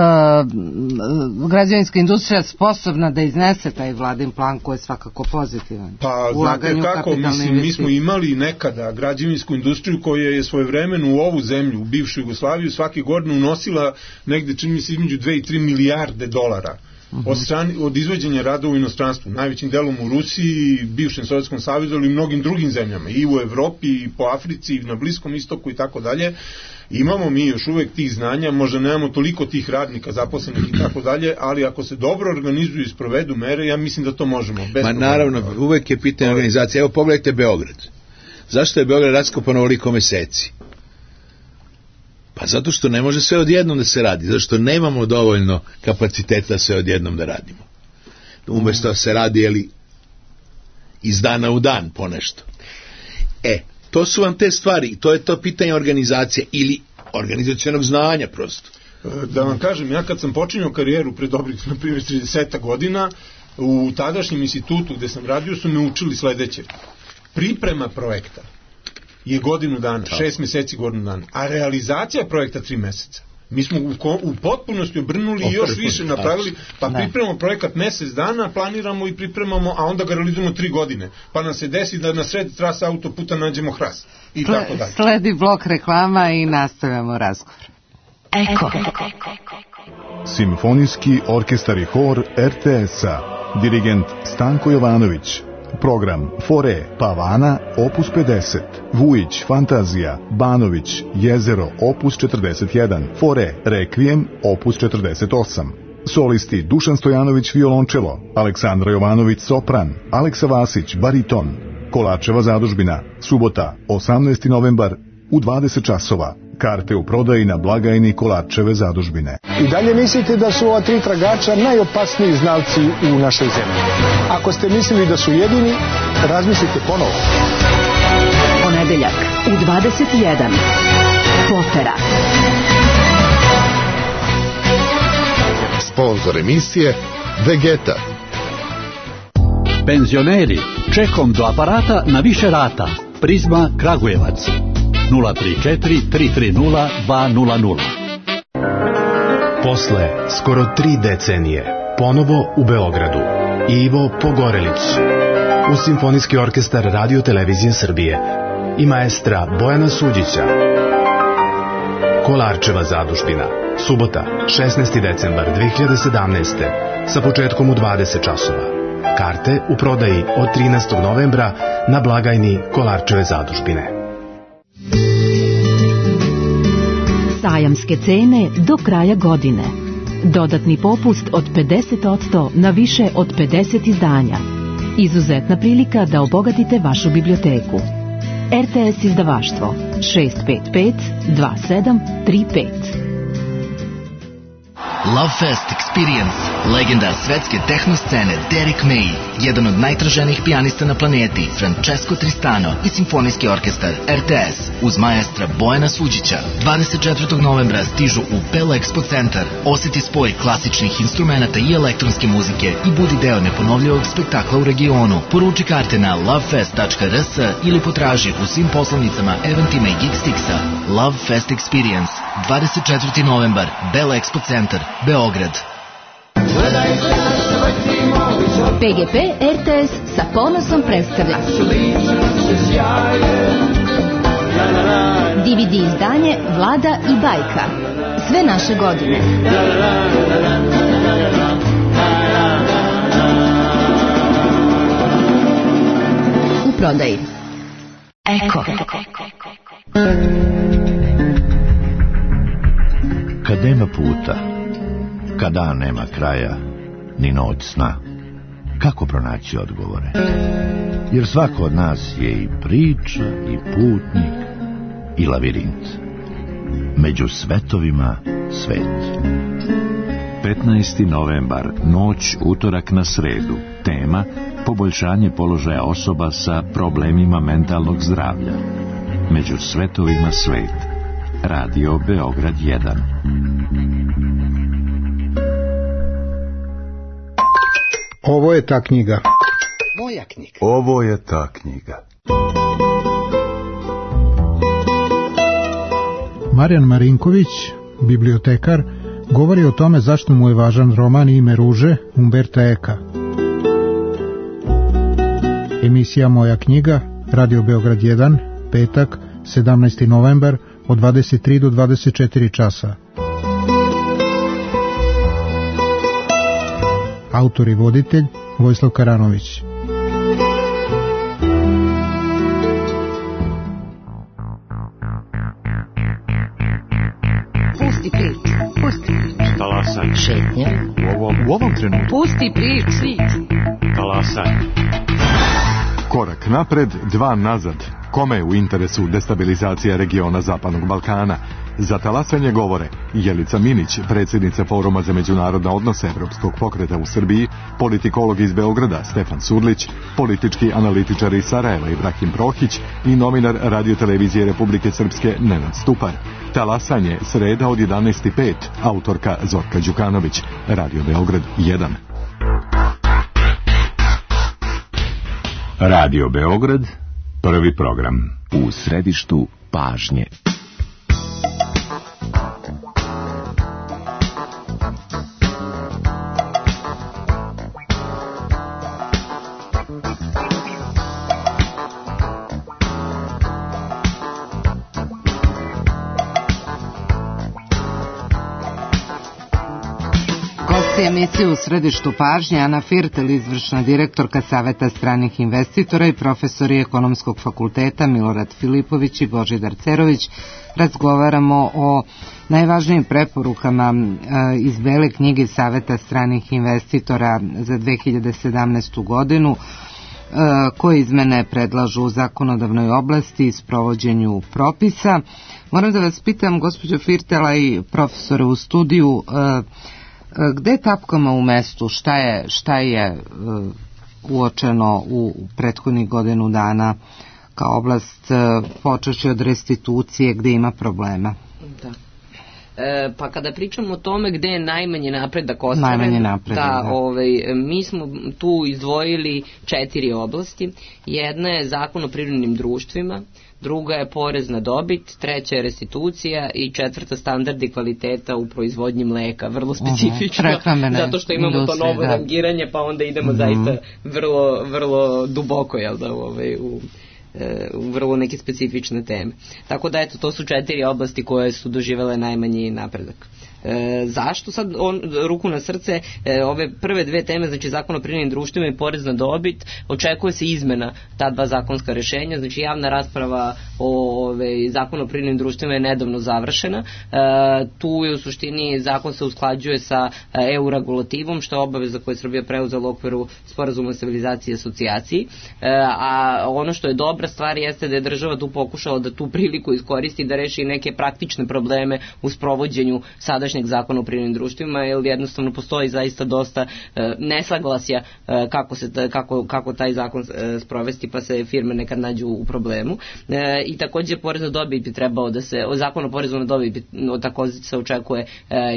građevinska industrija sposobna da iznese taj vladin plan koji je svakako pozitivan. Pa znate kako, mislim, mi smo imali nekada građevinsku industriju koja je svojevremeno u ovu zemlju, u bivšu Jugoslaviju, svake godine unosila negde, čini mi se, između dve i tri milijarde dolara. Uh-huh. Od, strani, od izvođenja rada u inostranstvu, najvećim delom u Rusiji, bivšem Sovjetskom savezu, ali i mnogim drugim zemljama, i u Evropi, i po Africi, i na Bliskom istoku i tako dalje. Imamo mi još uvek tih znanja, možda nemamo toliko tih radnika zaposlenih i tako dalje, ali ako se dobro organizuju i sprovedu mere, ja mislim da to možemo. Ma naravno, uvek je pitanje organizacije. Evo pogledajte Beograd. Zašto je Beograd raskopan ovoliko meseci? Pa zato što ne može sve odjednom da se radi, zato što nemamo dovoljno kapaciteta sve odjednom da radimo. Umesto da se radi, jeli, iz dana u dan ponešto. E, to su vam te stvari, to je to pitanje organizacije ili organizacionog znanja prosto. Da vam kažem, ja kad sam počinjao karijeru pre dobrih, na primjer, trideset godina, u tadašnjem institutu gde sam radio su me učili sledeće. Priprema projekta je godinu dana, šest meseci godinu dana, a realizacija projekta tri meseca. Mi smo u, u potpunosti obrnuli i još više napravili, pa ne. pripremamo projekat mesec dana, planiramo i pripremamo, a onda ga realizujemo tri godine. Pa nam se desi da na sred trasa autoputa nađemo hrast. I Sle, tako dalje. Sledi blok reklama i nastavljamo razgovor. Eko. Simfonijski orkestar i hor R T S-a. Dirigent Stanko Jovanović. Program Fore Pavana opus pedeset, Vujić Fantazija, Banović Jezero opus četrdeset jedan, Fore Rekvijem opus četrdeset osam. Solisti Dušan Stojanović violončelo, Aleksandra Jovanović sopran, Aleksa Vasić bariton. Kolarčeva zadužbina, subota osamnaesti novembar u dvadeset časova. Karte u prodaji na blagajni Kolarčeve zadužbine. I dalje mislite da su ova tri tragača najopasniji znalci u našoj zemlji. Ako ste mislili da su jedini, razmislite ponovo. Ponedeljak u dvadeset jedan. Potera. Sponzor emisije Vegeta. Penzioneri, čekom do aparata na više rata. Prizma Kragujevac. nula tri četiri tri tri nula dva nula nula. Posle skoro tri decenije, ponovo u Beogradu, Ivo Pogorelić, uz Simfonijski orkestar Radio Televizije Srbije i maestra Bojana Suđića. Kolarčeva zadužbina, subota, šesnaesti decembar dve hiljade sedamnaeste. sa početkom u dvadeset časova. Karte u prodaji od trinaestog novembra na blagajni Kolarčeve zadužbine. Sajamske cene do kraja godine. Dodatni popust od pedeset posto na više od pedeset izdanja. Izuzetna prilika da obogatite vašu biblioteku. R T S izdavaštvo šest pet pet dva sedam tri pet. Love Fest Experience, legenda svetske tehno scene Derek May, jedan od najtraženijih pijanista na planeti, Francesco Tristano i simfonijski orkestar R T S uz maestra Bojana Suđića. dvadeset četvrtog novembra stižu u Bell Expo centar. Osjeti spoj klasičnih instrumenta i elektronske muzike i budi deo neponovljivog spektakla u regionu. Poruči karte na lovefest tačka r s ili potraži u svim poslovnicama, eventima i Geekstixa. Love Fest Experience, dvadeset četvrti novembar, Bell Expo centar, Beograd. P G P R T S sa ponosom predstavlja D V D izdanje Vlada i bajka. Sve naše godine. U prodaji. Eko. Kad nema puta, kada nema kraja, ni noć sna, kako pronaći odgovore? Jer svako od nas je i priča, i putnik, i lavirint. Među svetovima svet. petnaesti novembar, noć utorak na sredu. Tema: poboljšanje položaja osoba sa problemima mentalnog zdravlja. Među svetovima svet. Radio Beograd jedan. Ovo je ta knjiga. Moja knjiga. Ovo je ta knjiga. Marijan Marinković, bibliotekar, govori o tome zašto mu je važan roman Ime ruže Umberta Eka. Emisija Moja knjiga, Radio Beograd jedan, petak, sedamnaesti novembar, od dvadeset tri do dvadeset četiri časa. Autor i voditelj Vojislav Karanović. Pusti priču. Pusti priču. Talasaj. Šetnja. U ovom, u ovom trenutku. Pusti priču. Talasaj. Korak napred, dva nazad. Kome je u interesu destabilizacija regiona Zapadnog Balkana? Za talasanje govore Jelica Minić, predsjednica Foruma za međunarodne odnose Evropskog pokreta u Srbiji, politikolog iz Beograda Stefan Surlić, politički analitičar iz Sarajeva Ibrahim Prohić i novinar radiotelevizije Republike Srpske Nenad Stupar. Talasanje, sreda od jedanaest i pet, autorka Zorka Đukanović, Radio Beograd jedan. Radio Beograd, prvi program. U središtu pažnje. Emisiju u središtu pažnje Ana Firtel, izvršna direktorka Saveta stranih investitora i profesori Ekonomskog fakulteta Milorad Filipović i Božidar Cerović. Razgovaramo o najvažnijim preporukama iz Bele knjige Saveta stranih investitora za dve hiljade sedamnaestu godinu, koje izmene predlažu u zakonodavnoj oblasti i sprovođenju propisa. Moram da vas pitam, gospođo Firtela i profesore u studiju, gde tapkamo u mestu, šta je, šta je uh, uočeno u, u prethodnih godinu dana kao oblast, uh, počeći od restitucije, gde ima problema? Da. E, pa kada pričamo o tome gde je najmanji napredak ostvaren, najmanji napredak, da, da. Ovaj, mi smo tu izdvojili četiri oblasti. Jedna je zakon o privrednim društvima, druga je porez na dobit, treća je restitucija i četvrta standardi kvaliteta u proizvodnji mleka, vrlo specifično, uh-huh. zato što imamo to novo da. rangiranje, pa onda idemo uh-huh. zaista vrlo, vrlo duboko, jel da, ovaj, u u vrlo neke specifične teme. Tako da, eto, to su četiri oblasti koje su doživele najmanji napredak. E, zašto? Sad, on, ruku na srce, e, ove prve dve teme, znači zakon o privrednim društvima i porez na dobit, očekuje se izmena ta dva zakonska rešenja, znači javna rasprava o ove, zakonu o privrednim društvima je nedavno završena. E, tu je u suštini zakon se usklađuje sa E U regulativom, što je obaveza koju je Srbija preuzela u okviru sporazuma o stabilizaciji i asocijaciji. E, a ono što je dobra stvar jeste da je država tu pokušala da tu priliku iskoristi da reši neke praktične probleme u sprovođenju sadašnje sadašnjeg zakona o privrednim društvima, jer jednostavno postoji zaista dosta nesaglasja kako, se, kako, kako taj zakon sprovesti, pa se firme nekad nađu u problemu. I takođe porez na dobit bi trebao da se, zakon o porezu na dobit bi, takođe se očekuje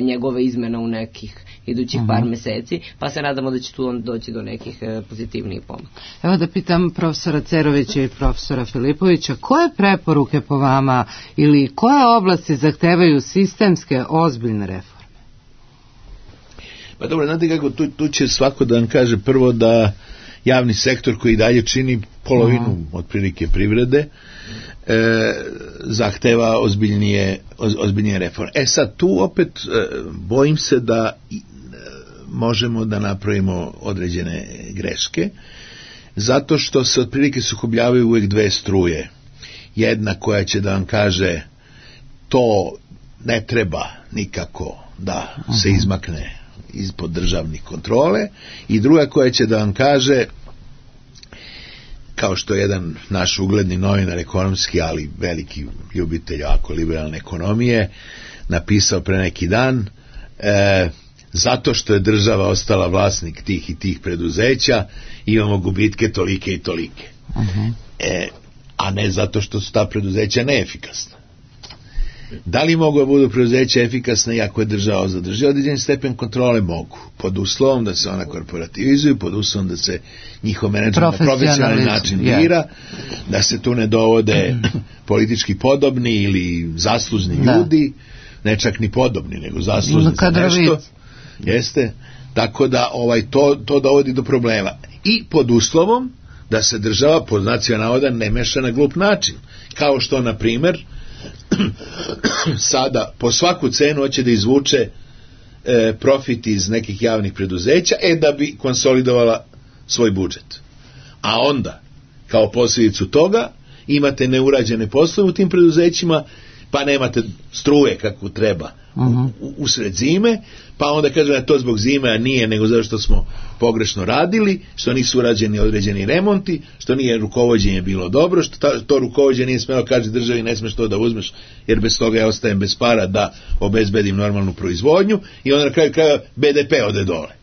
njegove izmena u nekih idućih par meseci, pa se nadamo da će tu on doći do nekih pozitivnih pomaka. Evo da pitam profesora Cerovića i profesora Filipovića, koje preporuke po vama ili koje oblasti zahtevaju sistemske ozbiljne reforme? Pa dobro, znate kako, tu, tu će svako da vam kaže prvo da javni sektor koji dalje čini polovinu mm. otprilike privrede e, zahteva ozbiljnije, oz, ozbiljnije reforme. E sad, tu opet e, bojim se da e, možemo da napravimo određene greške, zato što se otprilike sukobljavaju uvijek dve struje. Jedna koja će da vam kaže to ne treba nikako da se izmakne ispod državnih kontrole, i druga koja će da vam kaže, kao što je jedan naš ugledni novinar ekonomski, ali veliki ljubitelj jako liberalne ekonomije, napisao pre neki dan, e, zato što je država ostala vlasnik tih i tih preduzeća, imamo gubitke tolike i tolike. Uh-huh. E, a ne zato što su ta preduzeća neefikasna. Da li mogu da budu preduzeća efikasne i ako je država zadrži određen stepen kontrole? Mogu. Pod uslovom da se ona korporativizuju, pod uslovom da se njihov menadžment na profesionalni način bira, yeah. da se tu ne dovode politički podobni ili zaslužni da. ljudi, ne čak ni podobni, nego zaslužni za nešto. Jeste? Tako da ovaj, to, to dovodi do problema. I pod uslovom da se država pod nacionalna ne meša na glup način. Kao što, na primer, sada po svaku cenu hoće da izvuče e, profit iz nekih javnih preduzeća, e da bi konsolidovala svoj budžet. A onda, kao posljedicu toga, imate neurađene poslove u tim preduzećima, pa nemate struje kako treba uh-huh. u, usred zime, pa onda kažu da to zbog zime, a nije, nego zato što smo pogrešno radili, što nisu urađeni određeni remonti, što nije rukovođenje bilo dobro, što ta, to rukovođenje nije smelo kaže državi, ne smeš to da uzmeš, jer bez toga ja ostajem bez para da obezbedim normalnu proizvodnju, i onda na kraju kraja be de pe ode dole.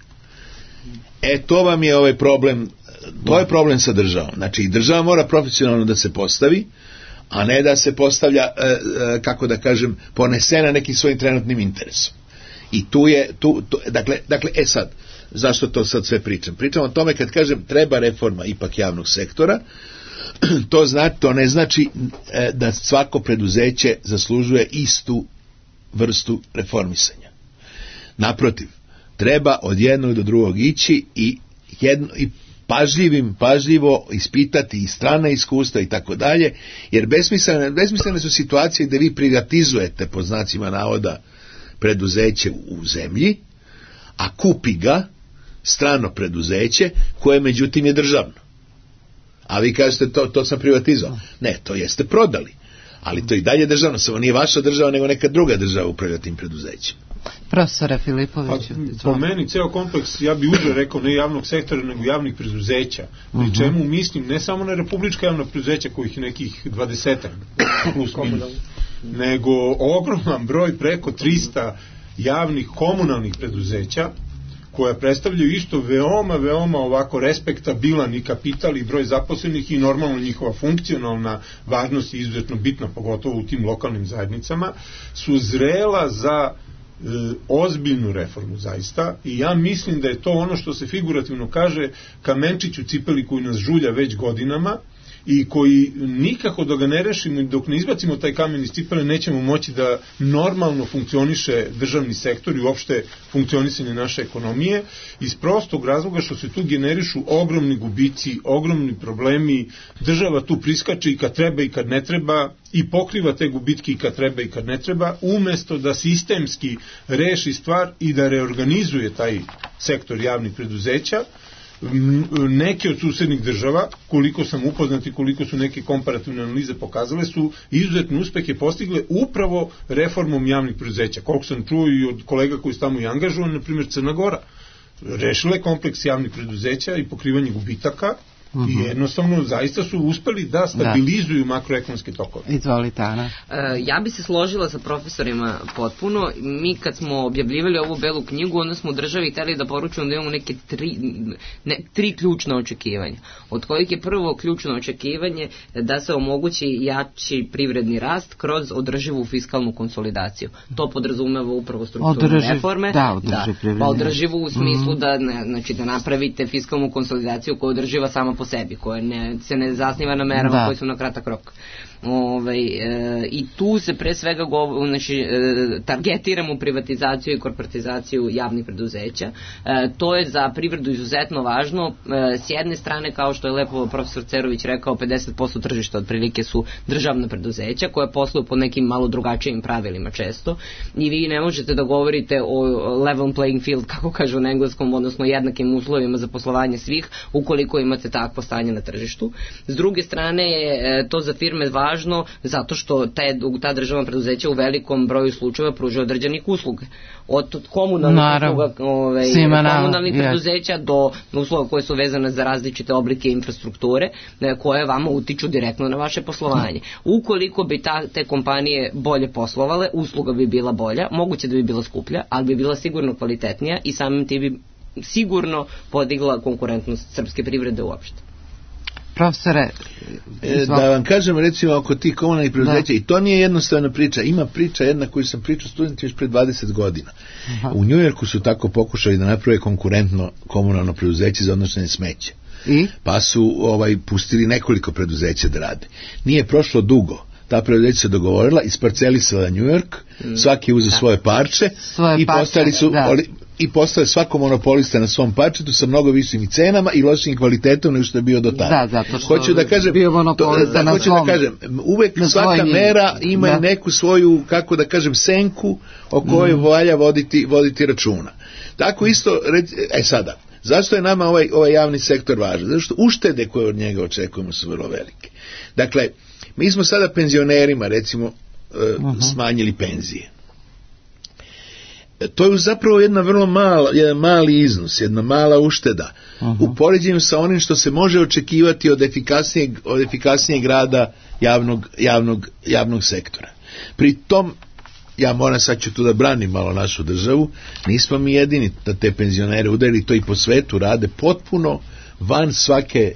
E, to vam je ovaj problem, to je problem sa državom. Znači, država mora profesionalno da se postavi, a ne da se postavlja, e, e, kako da kažem, ponesena nekim svojim trenutnim interesom. I tu je, tu, tu, dakle, dakle, e sad, zašto to sad sve pričam? Pričam o tome kad kažem treba reforma ipak javnog sektora, to, znači, to ne znači e, da svako preduzeće zaslužuje istu vrstu reformisanja. Naprotiv, treba od jednog do drugog ići i, jedno, i pažljivim, pažljivo ispitati i strana iskustva i tako dalje, jer besmislene, besmislene su situacije gde vi privatizujete, po znacima navoda, preduzeće u zemlji, a kupi ga strano preduzeće koje međutim je državno. A vi kažete to, to sam privatizovao. Ne, to jeste prodali. Ali to i dalje državno, samo nije vaša država, nego neka druga država upravlja tim preduzećem. Profesora Filipović. Pa, po meni ceo kompleks, ja bi uže rekao, ne javnog sektora, nego javnih preduzeća. Pri uh-huh. čemu mislim ne samo na republička javna preduzeća, kojih nekih dvadesetak plus minus, nego ogroman broj, preko trista javnih komunalnih preduzeća, koja predstavljaju isto veoma, veoma ovako respektabilan i kapital i broj zaposlenih i normalno njihova funkcionalna važnost je izuzetno bitna, pogotovo u tim lokalnim zajednicama, su zrela za e, ozbiljnu reformu zaista, i ja mislim da je to ono što se figurativno kaže kamenčić u cipeli koji nas žulja već godinama, i koji nikako da ga ne rešimo i dok ne izbacimo taj kamen iz cipele nećemo moći da normalno funkcioniše državni sektor i uopšte funkcionisanje naše ekonomije, iz prostog razloga što se tu generišu ogromni gubici, ogromni problemi, država tu priskače i kad treba i kad ne treba i pokriva te gubitke i kad treba i kad ne treba, umesto da sistemski reši stvar i da reorganizuje taj sektor javnih preduzeća. Neke od susednih država, koliko sam upoznat i koliko su neke komparativne analize pokazale, su izuzetne uspehe postigle upravo reformom javnih preduzeća. Koliko sam čuo i od kolega koji su tamo i angažovani, na primjer Crna Gora, rešila je kompleks javnih preduzeća i pokrivanje gubitaka, Uh-huh. I jednostavno zaista su uspeli da stabilizuju da. makroekonomske tokove. Izvolite, Ana. E, ja bi se složila sa profesorima potpuno. Mi kad smo objavljivali ovu belu knjigu, onda smo u državi hteli da poručujemo da imamo neke tri, ne, tri ključna očekivanja. Od kojih je prvo ključno očekivanje da se omogući jači privredni rast kroz održivu fiskalnu konsolidaciju. To podrazumeva upravo strukturne Održiv, reforme. Da, održiv da, pa održivu u smislu mm. da, ne, znači, da napravite fiskalnu konsolidaciju koja održiva sama po sebi, koja ne, se ne zasniva na merama da. koje su na kratak rok. Ove, e, i tu se pre svega go, znači, e, targetiramo privatizaciju i korporatizaciju javnih preduzeća. E, to je za privredu izuzetno važno. E, s jedne strane, kao što je lepo profesor Cerović rekao, pedeset posto tržišta otprilike su državna preduzeća koja posluju po nekim malo drugačijim pravilima često i vi ne možete da govorite o level playing field, kako kažu na engleskom, odnosno jednakim uslovima za poslovanje svih ukoliko imate takvo stanje na tržištu. S druge strane je to za firme važno zato što te, ta državna preduzeća u velikom broju slučajeva pružaju određenih usluga. Od komunalnih usluga, ove, komunalnih preduzeća do usluga koje su vezane za različite oblike infrastrukture koje vama utiču direktno na vaše poslovanje. Ukoliko bi ta, te kompanije bolje poslovale, usluga bi bila bolja, moguće da bi bila skuplja, ali bi bila sigurno kvalitetnija i samim tim bi sigurno podigla konkurentnost srpske privrede uopšte. Profesore, e, da vam kažem recimo oko tih komunalnih preduzeća, i to nije jednostavna priča, ima priča jedna koju sam pričao studenti još pre dvadeset godina. Aha. U Njujorku su tako pokušali da naprave konkurentno komunalno preduzeće za odnošenje smeća. I? Pa su ovaj, pustili nekoliko preduzeća da rade. Nije prošlo dugo. Ta preduzeća se dogovorila, isparcelisala Njujork, mm. svaki je uzeo da. svoje parče svoje i postali su da. oli, i postao svako monopolista na svom parčetu sa mnogo višim cenama i lošim kvalitetom nego što je bio do tada. Da, zato što hoću da kažem, bio monopolista to, da, na hoću svom. Da kažem, uvek svaka mera ima da. neku svoju, kako da kažem, senku o kojoj mm. valja voditi, voditi računa. Tako isto, e sada, zašto je nama ovaj, ovaj javni sektor važan? Zato što uštede koje od njega očekujemo su vrlo velike. Dakle, mi smo sada penzionerima, recimo, uh-huh. smanjili penzije. To je zapravo jedna vrlo mala, jedan mali iznos, jedna mala ušteda. Uh-huh. U poređenju sa onim što se može očekivati od efikasnijeg, od efikasnijeg rada javnog, javnog, javnog sektora. Pri tom, ja moram sad ću tu da branim malo našu državu, nismo mi jedini da te penzionere udarili, to i po svetu rade potpuno van svake,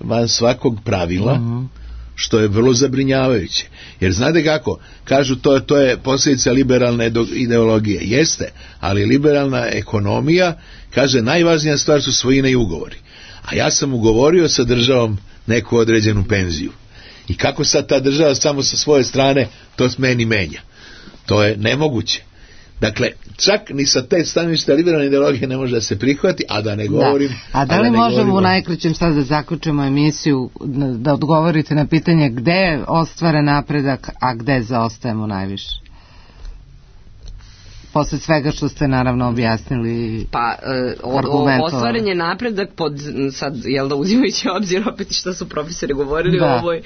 van svakog pravila, uh-huh. što je vrlo zabrinjavajuće. Jer znate kako, kažu to, to je posljedica liberalne ideologije. Jeste, ali liberalna ekonomija kaže najvažnija stvar su svojine i ugovori. A ja sam ugovorio sa državom neku određenu penziju. I kako sad ta država samo sa svoje strane to s meni menja? To je nemoguće. Dakle, čak ni sa te stanovišta liberalne ideologije ne može da se prihvati, a da ne govorim... Da. A da li da možemo govorimo... u najkraćem sad da zaključimo emisiju, da odgovorite na pitanje gde je ostvaren napredak, a gde zaostajemo najviše? Posle svega što ste naravno objasnili. Pa, e, ostvaren je napredak pod, sad, jel da uzimajući obzir opet što su profesori govorili da. o ovoj, e,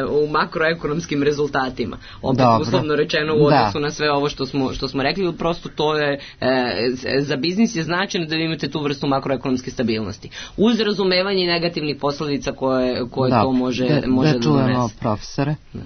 u makroekonomskim rezultatima. Opet Dobro. uslovno rečeno u odnosu da. na sve ovo što smo, što smo rekli, prosto to je, e, za biznis je značajno da vi imate tu vrstu makroekonomske stabilnosti. Uz razumevanje negativnih posledica koje, koje to može da, može da, da čujemo donese. Profesore. Da.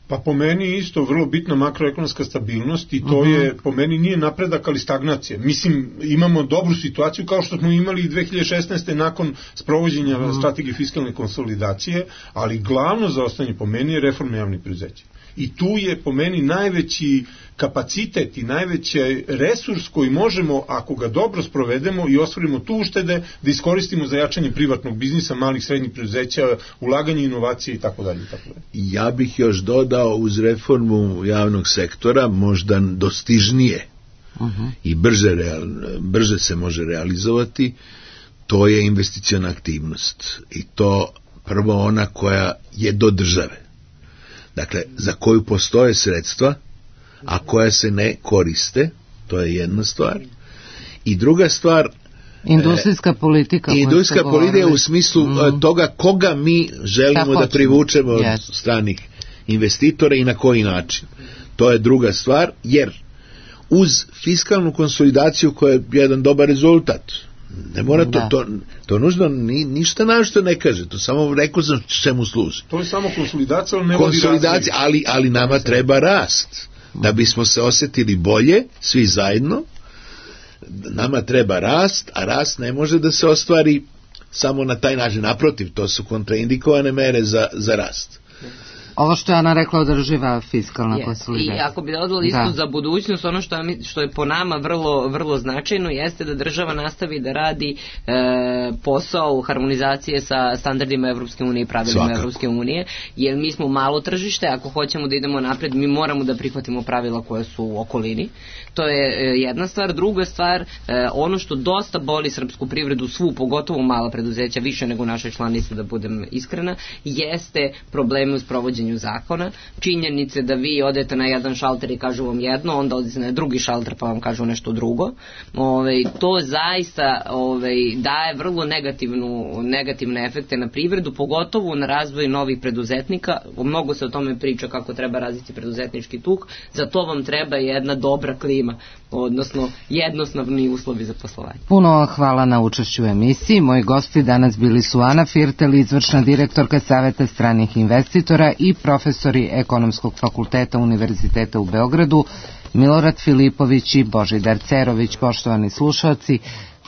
Pa po meni isto vrlo bitna makroekonomska stabilnost i to uh-huh. je, po meni nije napredak, ali stagnacija. Mislim, imamo dobru situaciju kao što smo imali i dve hiljade šesnaeste. nakon sprovođenja uh-huh. strategije fiskalne konsolidacije, ali glavno zaostanje po meni je reforma javnih preduzeća. I tu je po meni najveći kapacitet i najveći resurs koji možemo, ako ga dobro sprovedemo i ostvarimo tu uštede, da iskoristimo za jačanje privatnog biznisa, malih srednjih preduzeća, ulaganje inovacije i tako dalje. Ja bih još dodao uz reformu javnog sektora možda dostižnije uh-huh. i brže, real, brže se može realizovati, to je investiciona aktivnost. I to prvo ona koja je do države. Dakle, za koju postoje sredstva, a koja se ne koriste, to je jedna stvar. I druga stvar... Industrijska politika. Industrijska politika u smislu mm. toga koga mi želimo da privučemo yes. od stranih investitora i na koji način. To je druga stvar, jer uz fiskalnu konsolidaciju koja je jedan dobar rezultat, Ne mora to, to, to nužno ni, ništa našto ne kaže, to samo rekao sam čemu služi. To je samo konsolidacija, ali ne vodi razvoj. Konsolidacija, ali, ali nama treba rast. Da bismo se osjetili bolje, svi zajedno, nama treba rast, a rast ne može da se ostvari samo na taj način. Naprotiv, to su kontraindikovane mere za, za rast. Ovo što je Ana rekla, održiva fiskalna yes. konsolidacija. I ako bi dodala isto za budućnost, ono što je, što je po nama vrlo, vrlo značajno jeste da država nastavi da radi e, posao harmonizacije sa standardima Evropske unije i pravilima Svakako. Evropske unije, jer mi smo malo tržište, ako hoćemo da idemo napred, mi moramo da prihvatimo pravila koja su u okolini. To je e, jedna stvar. Druga stvar, e, ono što dosta boli srpsku privredu, svu, pogotovo mala preduzeća, više nego naše članice, da budem iskrena, jeste problemi u sprovođenju zakona, činjenice da vi odete na jedan šalter i kažu vam jedno, onda odete na drugi šalter pa vam kažu nešto drugo. Ove, to zaista ove, daje vrlo negativnu, negativne efekte na privredu, pogotovo na razvoj novih preduzetnika. Mnogo se o tome priča kako treba razviti preduzetnički tuk, za to vam treba jedna dobra klima, odnosno jednostavni uslovi za poslovanje. Puno hvala na učešću u emisiji. Moji gosti danas bili su Ana Firtel, izvršna direktorka Saveta stranih investitora, i profesori Ekonomskog fakulteta Univerziteta u Beogradu, Milorad Filipović i Božidar Cerović. Poštovani slušalci,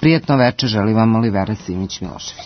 prijetno veče želi vam Olivera Simić Milošević.